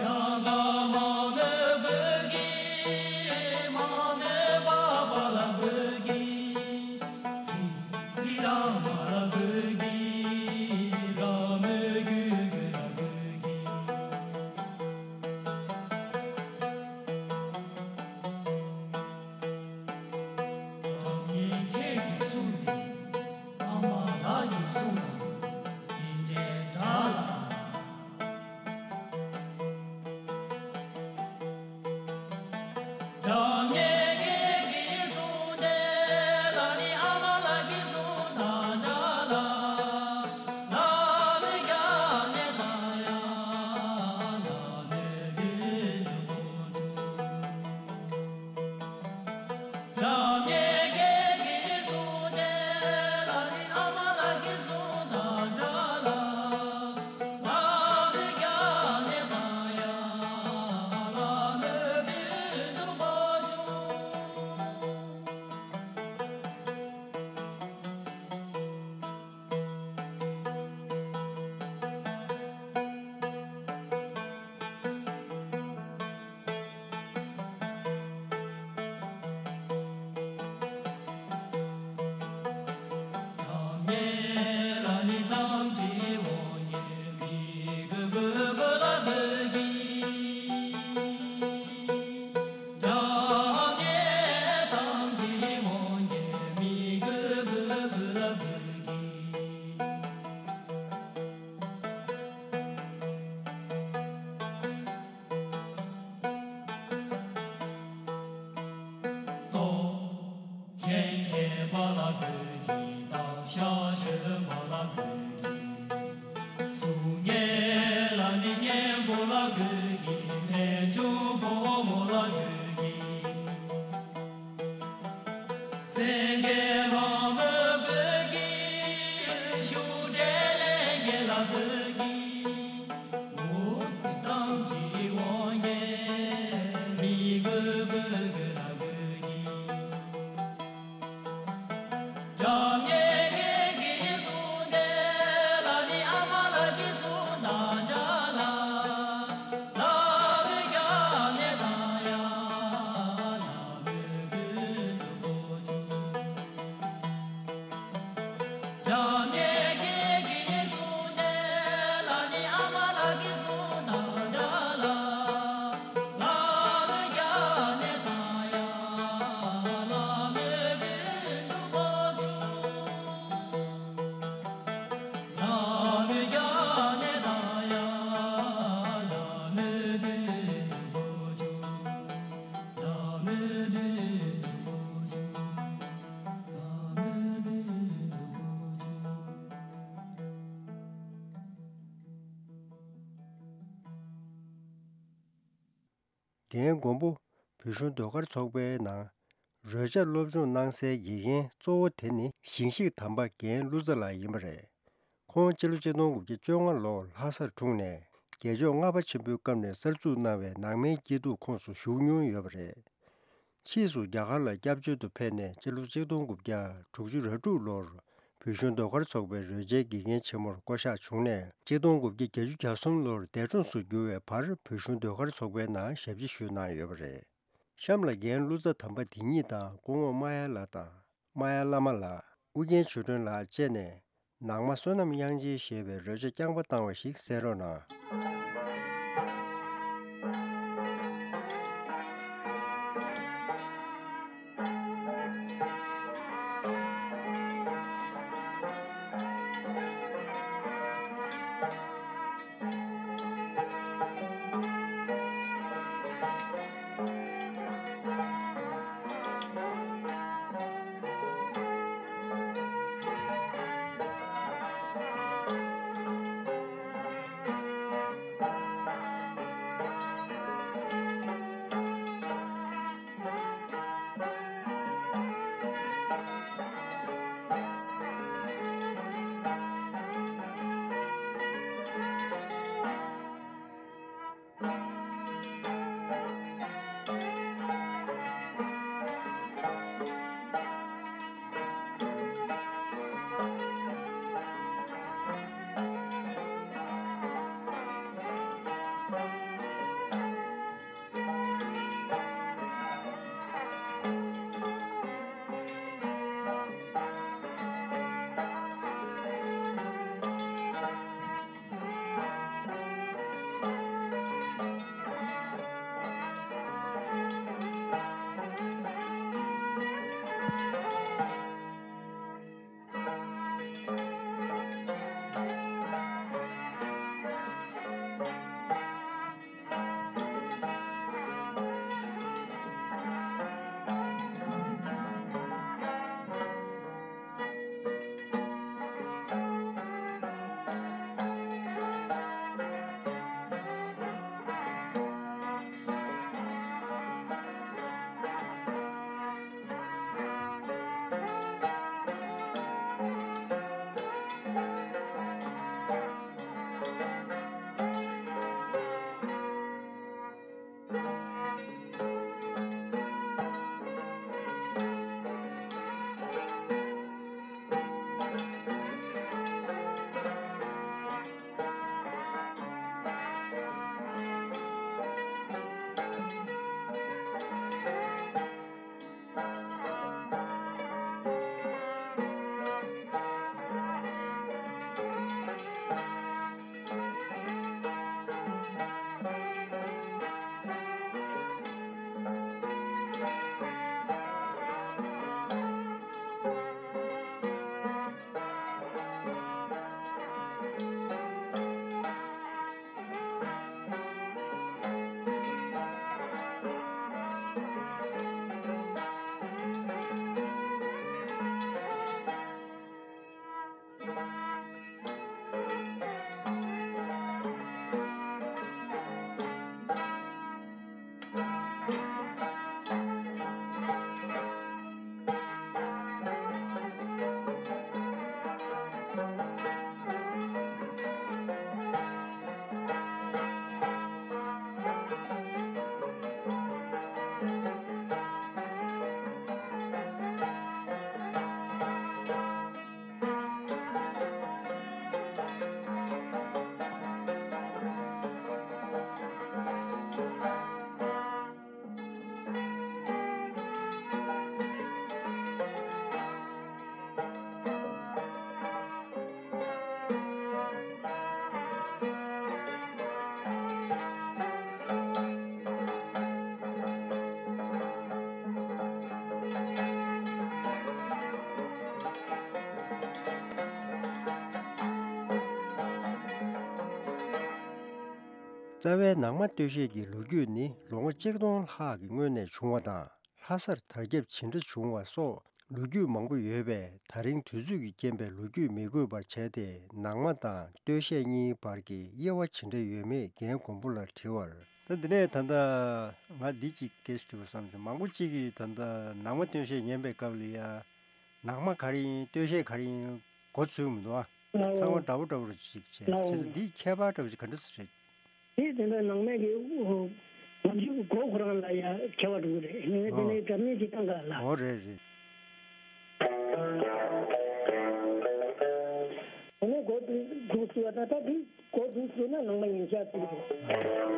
ཡང་དག་མ་མོའི་གོས་ཀྱི། མ་མོའི་པ་པ་ལ་གོས་ཀྱི། ཙི་ཙི་ར་མ་ལ་གོས་ཀྱི། ར་མོའི་གུ་གུ་ལ་གོས་ཀྱི། སྒྲ་སྙན་སྐད་ཀྱི་གསུང་ནི། ཨ་མ་ལགས་ཀྱི་གསུང་དང་། དེ་འདྲའི་སྒྲ་ལ། གསུང་མཁན་ལ་ནི་གཉན་པོ་ལ་གུས་ཀྱི། རྨད་བྱུང་ཕོ་མོ་ལ་གུས་ཀྱི། སེང་གེ་མ་མོ་གུས་ཀྱི། ཤུགས་འགྲན་ལས་མཁན་ལ་གུས་ཀྱི། འུ་ཚིག་གཏམ་གྱི་དབང་གིས་མི་གུས་གུས་གུས་ལ་གུས་ཀྱི། འཇམ་མཉེན་མཁས་ཀྱི་གསུང་དེ་ལ་ནི་ཨ་མ་ལགས་ཀྱི་གསུང་དང་འདྲ་ལ། ལྷ་མོས་རྒྱབ་ནས་བཏང་ཡ། ལྷ་མོས་གུས་འགྲོ་གོ་བྱུང་། འཇམ་མཉེན་མཁས་ཀྱི་གསུང་དེ་ལ་ནི་ཨ་མ་ལགས་ཀྱི་གསུང་དང་འདྲ་ལ། ལྷ་མོས་རྒྱབ་ནས་བཏང་ཡ། ལྷ་མོས་གུས་འགྲོ་གོ་བྱུང་། ལྷ་མོས་རྒྱབ་ནས་བཏང་ཡ། ལྷ་མོས་གུས་འགྲོ་གོ་བྱུང་། ལྷ་མོས་གུས་འགྲོ་གོ་བྱུང་། ལྷ་མོས་གུས་འགྲོ་གོ་བྱུང་། རྒན་མགོན་པོ་བོད་གཞུང་ཟློས་གར་ཚོགས་པའི་ནང་རོལ་ཆ་སློབ་སྦྱོང་གནང་སའི་དགེ་རྒན་གཙོ་བོ་དེ་ནི་ཞིང་གཤེགས་དམ་པ་རྒན་ཀླུ་ཚ་ལགས་ཡིན་པ་རེད། ཁོང་སྤྱི་ལོ་ཆིག་སྟོང་དགུ་བརྒྱ་བཅོ་ལྔ་ལོར་ལྷ་སར་འཁྲུངས་ནས་རྒྱལ་མཆོག་ལྔ་པ་ཆེན་པོའི་སྐབས་ནས་གསར་འཛུགས་གནང་བའི་ནང་མའི་སྐྱིད་སྡུག་ཁོངས་སུ་ཞུགས་མྱོང་ཡོད་པ་རེད། ཕྱིས་སུ་རྒྱ་གར་ལ་སྐྱབས་བཅོལ་དུ་ཕེབས་ནས་སྤྱི་ལོ་ཆིག་སྟོང་དགུ་བརྒྱ་དྲུག་ཅུ་རེ་དྲུག་ལོར་བོད་གཞུང་ཟློས་གར་ཚོགས་པའི་རོལ་ཆའི་དགེ་རྒན་ཆེན་མོར་བསྐོ་གཞག་བྱུང་ནས་ཆིག་སྟོང་དགུ་བརྒྱ་བརྒྱད་ཅུ་གྱ་གསུམ་ལོར་འདས་གྲོངས་སུ་གྱུར་བའི་བར་བོད་གཞུང་ཟློས་གར་ཚོགས་པའི་ནང་ཞབས་ཕྱི་ཞུས་གནང་ཡོད་པ་རེད། གཤམ་ལ་རྒན་ཀླུ་ཚ་དམ་པ་དེ་ཉིད་དང་སྐུ་ངོ་རྨ་ཡ་ལགས་དང་རྨ་ཡ་བླ་མ་ལགས། ཨུ་རྒྱན་ཆོས་སྒྲོན་ལགས་བཅས་ནས་ནང་མ་བསོད་ནམས་དབྱངས་ཅན་ཞེས་པའི་རོལ་ཆ་རྐྱང་པ་བཏང་བ་ཞིག་གསན་རོགས་གནང་། རྩ་བའི་ནང་མ་སྟོད་གཞས་ཀྱི་ལོ་རྒྱུས་ནི་ལོ་ངོ་གཅིག་སྟོང་ལྷག་གི་སྔོན་ནས་བྱུང་བ་དང་། ལྷ་སར་དར་ཁྱབ་ཇི་འདྲ་བྱུང་བ་སོགས་ལོ་རྒྱུས་མང་པོ་ཡོད་པས། ད་རིང་དུས་ཚོད་ཀྱི་རྐྱེན་པས་ལོ་རྒྱུས་མི་དགོས་པར་བྱས་ཏེ། ནང་མ་དང་སྟོད་གཞས་གཉིས་བར་གྱི་དབྱེ་བ་ཇི་འདྲ་ཡོད་མེད་རྒན་མགོན་པོ་ལ་དྲི་བར། ད་འདི་ནས་ད་ལྟ་ང་འདི་གཅིག་སྐད་ཆ་དྲི་བ་བསམ་བྱུང་། མང་པོ་གཅིག་གིས་ད་ལྟ་ནང་མ་སྟོད་གཞས་ཉན་པའི་སྐབས་ལ་ཡ། ནང་མ་ག་རེ་ཡིན། སྟོད་གཞས་ག་རེ་ཡིན། མགོ་ཚོས་མི་འདུག་ཨ། ཨོ། ཚང་མ་འདྲ་པོ་འདྲ་པོ་རེ་ཅིག་བྱས། ཨོ། བྱས་ཙང་འདིའི་ཁྱད་པར་འདྲ་པོ་ཅིག་ག་འདྲ་ཞིག་རེད། དེ་དེ་འདྲ་ནང་མའི་གི་ཨོ། ང་ཚོའི་མགོ་ཁོ་རང་ལ་ཡ་ཁྱད་པར་འདུག་རེད། ངས་དེ་ནས་སྒྲ་སྙན་ཅིག་བཏང་ག་ལ། ཨོ་རེད་རེད། དེ་ནས་མགོ་འདུག་ཟེར་བ་ད་ལྟ་འདི། གོ་འདུག་ཟེར་ན་ནང་མ་ཡིན་ཤག་ཟེར་གྱི་འདུག།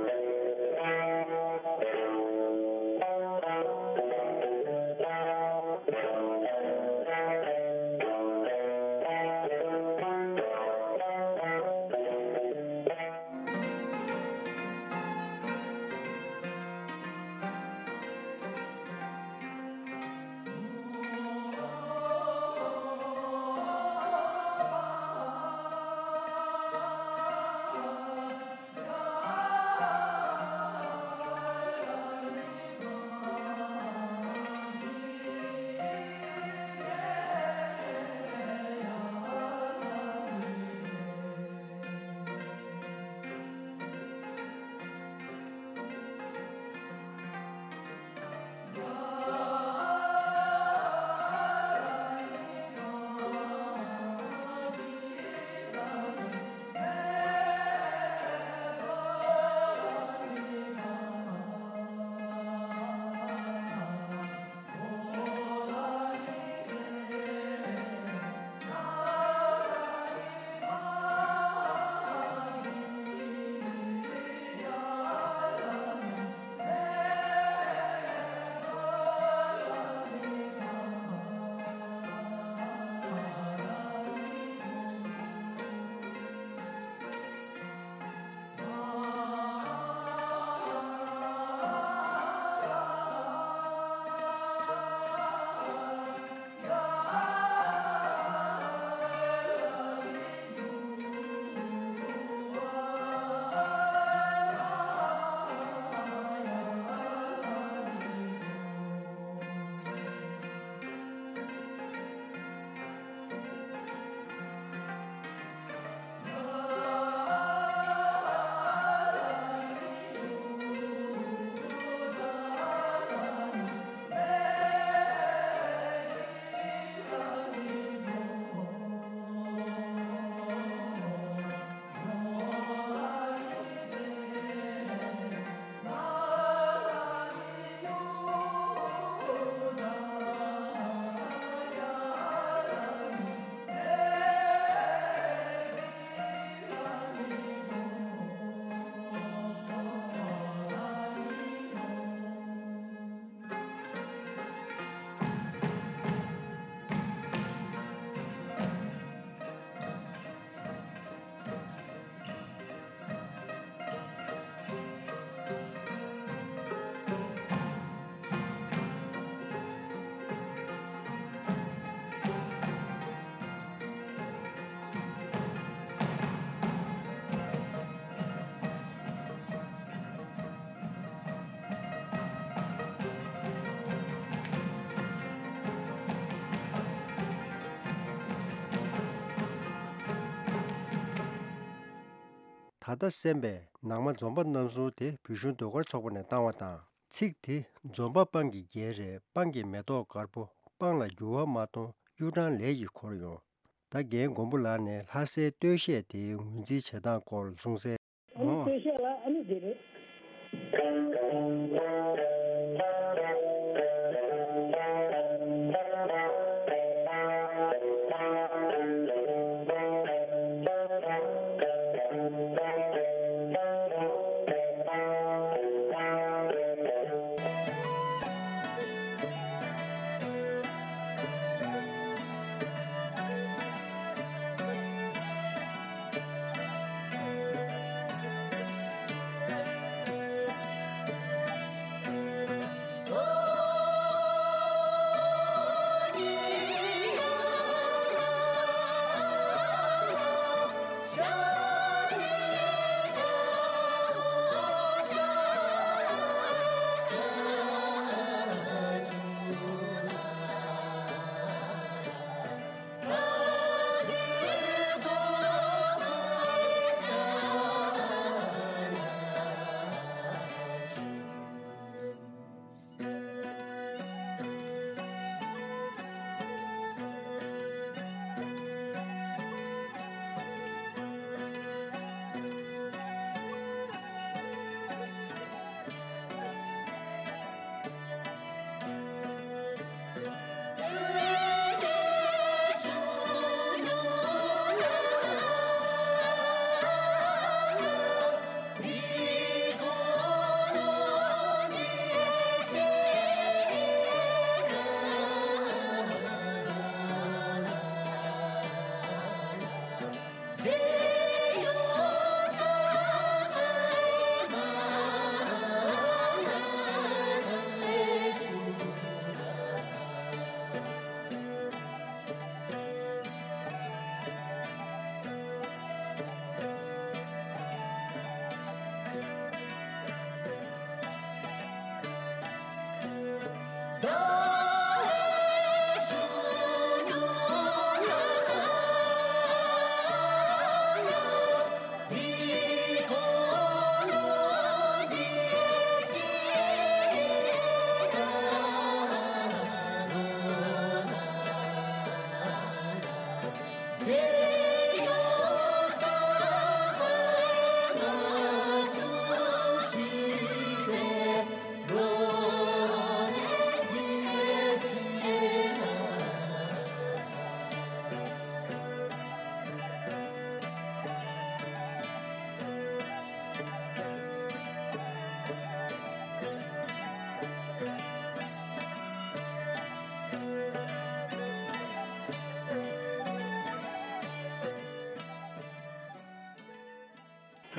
ད་ལྟ་གསན་པའི་ནང་མ་འཛོམས་པ་རྣམ་གསུམ་དེ་བོད་གཞུང་ཟློས་གར་ཚོགས་པ་ནས་བཏང་བ་དང་། ཚིག་དེ་འཛོམས་པ་སྤང་གི་རྒྱན་རེད། སྤང་གི་མེ་ཏོག་དཀར་པོ། སྤང་ལ་འགྱུར་བ་མ་གཏོང་གཡུ་སྦྲང་ལས་ཀྱིས་འཁོར་ཡོང་། ད་རྒན་མགོན་པོ་ལགས་ནས་ལྷ་སའི་སྟོད་གཞས་དེའི་ངོས་འཛིན་བྱེད་སྟངས་སྐོར་གསུང་གསལ། ཨ་ནི་ཨོ། སྟོད་གཞས་ལ་ཨ་ནི་འདི་རེད།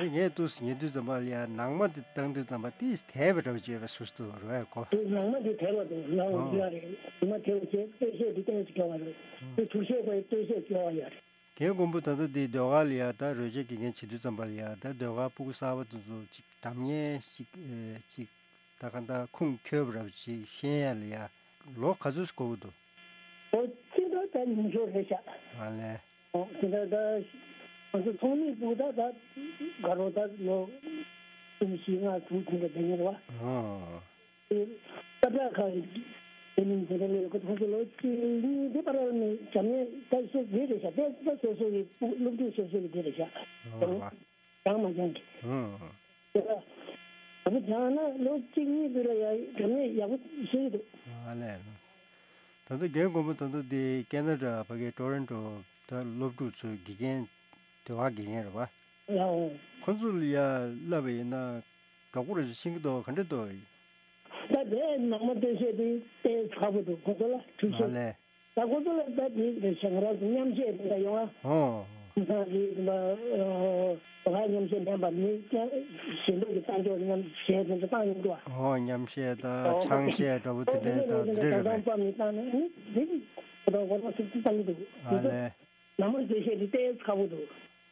ད་ངས་ཏུས་ཉེ་དུས་ཙམ་པ་ལ་ཡ་ནང་མ་དེ་བཏང་དུས་ཙམ་པ་ཏིས་དལ་བ་འདྲ་བ་བརྗོད་པའི་སུ་སུ་རོ་ཡ་གོ། དེ་ནང་མ་དེ་དལ་བ་འདུག་ནང་ཨོ། འདི་ཡ་རེད། ནང་མ་དལ་བ་བྱས་སྟོད་གཞས་འདི་ཏོག་ཙམ་སྐྱོ་བ་རེད། དེ་ཐུགས་གཞས་ཁོའི་སྟོད་གཞས་སྐྱོ་བ་ཡ་རེད། རྒན་མགོན་པོ་ད་ལྟ་འདི་ཟློས་གར་ལ་ཡ་ད་རོལ་ཆ་དགེ་རྒན་བྱེད་དུས་ཙམ་པ་ལ་ཡ་ད་ཟློས་གར་སྤུ་གུ་གསར་པ་དེ་ཚོ་ཅིག་འགྲམ་ཉན་ཞིག་ཨེ་ཅིག་ད་ག་ད་ཁུངས་འཁྱོལ་བ་རབ་ཅིག་ཤེས་ཡ་ལ་ཡ་ལོ་ག་ཚོད་ཞིག་འགོར་གི་འདུག་ཨོ་ཅི་འདྲ་ད་ཉིན་ཞོ་རེད་ཤག་ཨ་ལས། ཨོ་ཅི་འདྲ་ད་ང་ཚོ་ཚོགས་མི་སྤུ་གུ་ད་ད་དགའ་རོགས་ད་ལོ་གསུམ་བཞི་ལྔ་དྲུག་དེ་འདྲ་བསྡད་ངེས་རེད་བ། ཨོ། སྐབས་ར་ཁག་དེ་མིན་དེ་འདྲ་ལས་ཁོ་ཚོ་ལོ་གཅིག་གཉིས་དེ་བར་ནས་འཇམ་ནས་ད་སོ་དེ་རེད་ཤག་དེ་ད་སོ་སོ་གི་སློབ་ཕྲུག་སོ་སོ་གི་དེ་རེད་ཤག་ཨོ་བ། སྦྱང་མ་སྦྱང་གི་ཨོ། དེ་ལ་ད་པོ་སྦྱང་ན་ལོ་གཅིག་གཉིས་དེ་ལ་ཡ་འཇམ་ནས་ཡག་པོ་ཤེས་ཀྱི་འདུག་ཨ་ལས། ད་ལྟ་རྒན་མགོན་པོ་ད་ལྟ་དེ་ཀེ་ན་ཌ་ཕ་གིའི་ཊོ་རོན་ཊོ་ད་སློབ་ཕྲུག་ཚོའི་དགེ་རྒན་ཟློས་གར་དགེ་རྒན་རེད་བ། ལའོ། ཁོ་ཚོ་ལ་ཡ་བསླབ་པ་ཡིན་ན་དགའ་པོ་རེ་ཞིག་ཤེས་ཀྱི་འདུག་ག་འདྲ་འདུག་ད་དེ་ནང་མ་སྟོད་གཞས་དེ་དཔེ་ཁག་པོ་འདུག་ཁོ་ཚོ་ལ་ཁྲུས་ཨ་གཞས། ལས། ད་ཁོ་ཚོ་ལ་ད་དེ་རེད་ཤག་ང་རང་ཚོ་མཉམ་གཞས་དེ་འདྲ་ཡོང་ཨ། ཨོ། ཁོང་ཚང་གི་ད་ཟློས་གར་མཉམ་གཞས་ལེན་པ་མི་ཀྱང་ཞེ་འདོད་ཀྱི་བཏང་ཆོག་མཉམ་གཞས་དེ་ཚོ་བཏང་ཡོང་འདུག་ཨ། ཨོ་མཉམ་གཞས་དང་ཨོ་ཆང་གཞས་འདྲ་པོ་དེ་འདྲའི་ད་དེ་འདྲ་རེད་པས། ད་ལྟ་མི་བཏང་ནས་ནི་དེ་ཁོ་ཚོ་ཁོ་ཚོ་ཚིག་ཚིག་བཏང་གི་འདུག་ཨ་དེ་ཚོ་ལས། ནང་མ་སྟོད་གཞས་དེ་ཏོག་ཙམ་ཁག་པོ་འདུག་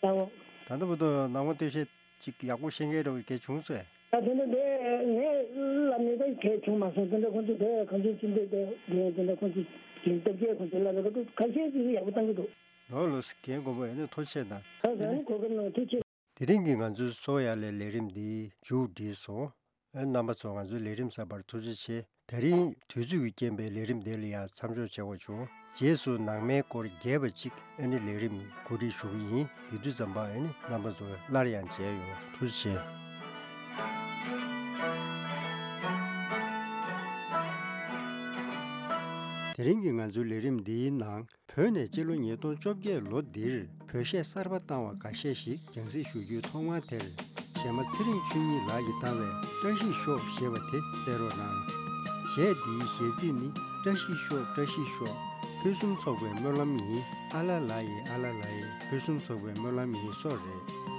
ད་འོ། ད་ལྟ་བར་དུ་ནང་མ་སྟོད་གཞས་ཅིག་ཡག་པོ་ཤེས་མཁན་འདྲ་བོ་གལ་བྱུང་སོང་། ད་དེ་འདྲ་དེ་ངས་བསླབ་ནས་ད་གལ་བྱུང་མ་སོང་། དེ་འདྲ་ཁོང་ཚོ་དེ་གང་ཚོད་ཅི་འདྲ་དེ་དེ་འདྲ་ཁོང་ཚོ་གི་སྟོབས་ཆེ་ཁོང་ཚོ་བསླབ་པའི་ཁ་ཐུག་ཁ་ཤས་ཅིག་ཡག་པོ་བཏང་གི་འདུག་ལོ་ལོ་སི་རྒན་མགོན་པོ་ཡིན་ན་ཐུགས་རྗེ་ཆེ་གནང་། ད་ད་ནི་གོ་སྐབས་གནང་ཐུགས་རྗེ་ཆེ། དེ་རིང་གི་ང་ཚོའི་གསོ་ཡ་ལས་ལས་རིམ་འདི་མཇུག་བསྒྲིལ་སོང་། ཨ་རྣམ་པ་ཚོ་ང་ཚོའི་ལས་རིམ་གསར་པར་ཐུགས་རྗེ་ཆེ། དེ་རིང་དུས་ཚོད་ཀྱི་རྐྱེན་པས་ལས་རིམ་འདི་ལ་ཡང་མཚམས་འཇོག་བྱེད་དགོས་བྱུང་། རྗེས་སུ་ནང་མའི་སྐོར་རྒྱས་པ་ཅིག་ཨ་ནི་ལས་རིམ་གོ་སྒྲིག་ཞུ་གི་ཡིན། དེ་དུས་ཙམ་པ་ཨ་ནི་རྣམ་པ་ཚོ་སླར་ཡང་མཇལ་ཡོང་། ཐུགས་རྗེ་ཆེ། དེ་རིང་གི་ང་ཚོའི་ལས་རིམ་འདིའི་ནང་། བོད་ནས་སྤྱི་ལོ་ཉིས་སྟོང་བཅོ་བརྒྱད་ལོ་འདིར་བོད་གཞས་གསར་པ་བཏང་བ་འགའ་ཤས་ཤིག་རྒྱང་སྲིང་ཞུ་རྒྱུའི་ཐོག་མ་དེར། གཞས་མ་ཚེ་རིང་ཆོས་ཉིད་ལགས་ཀྱིས་བཏང་བའི་བཀྲ་ཤིས་ཤོག་ཞེས་པ་དེ་གསན་རོགས་གནང་། གཞས་འདིའི་གཞས་ཚིག་ནི། བཀྲ་ཤིས་ཤོག་བཀྲ་ཤིས་ཤོག་ཕུན་སུམ་ཚོགས་པའི་སྨོན་ལམ་ཡིན། ཨ་ལ་ལ་ཡེ་ཨ་ལ་ལ་ཡེ་ཕུན་སུམ་ཚོགས་པའི་སྨོན་ལམ་ཡིན་སོགས་རེད།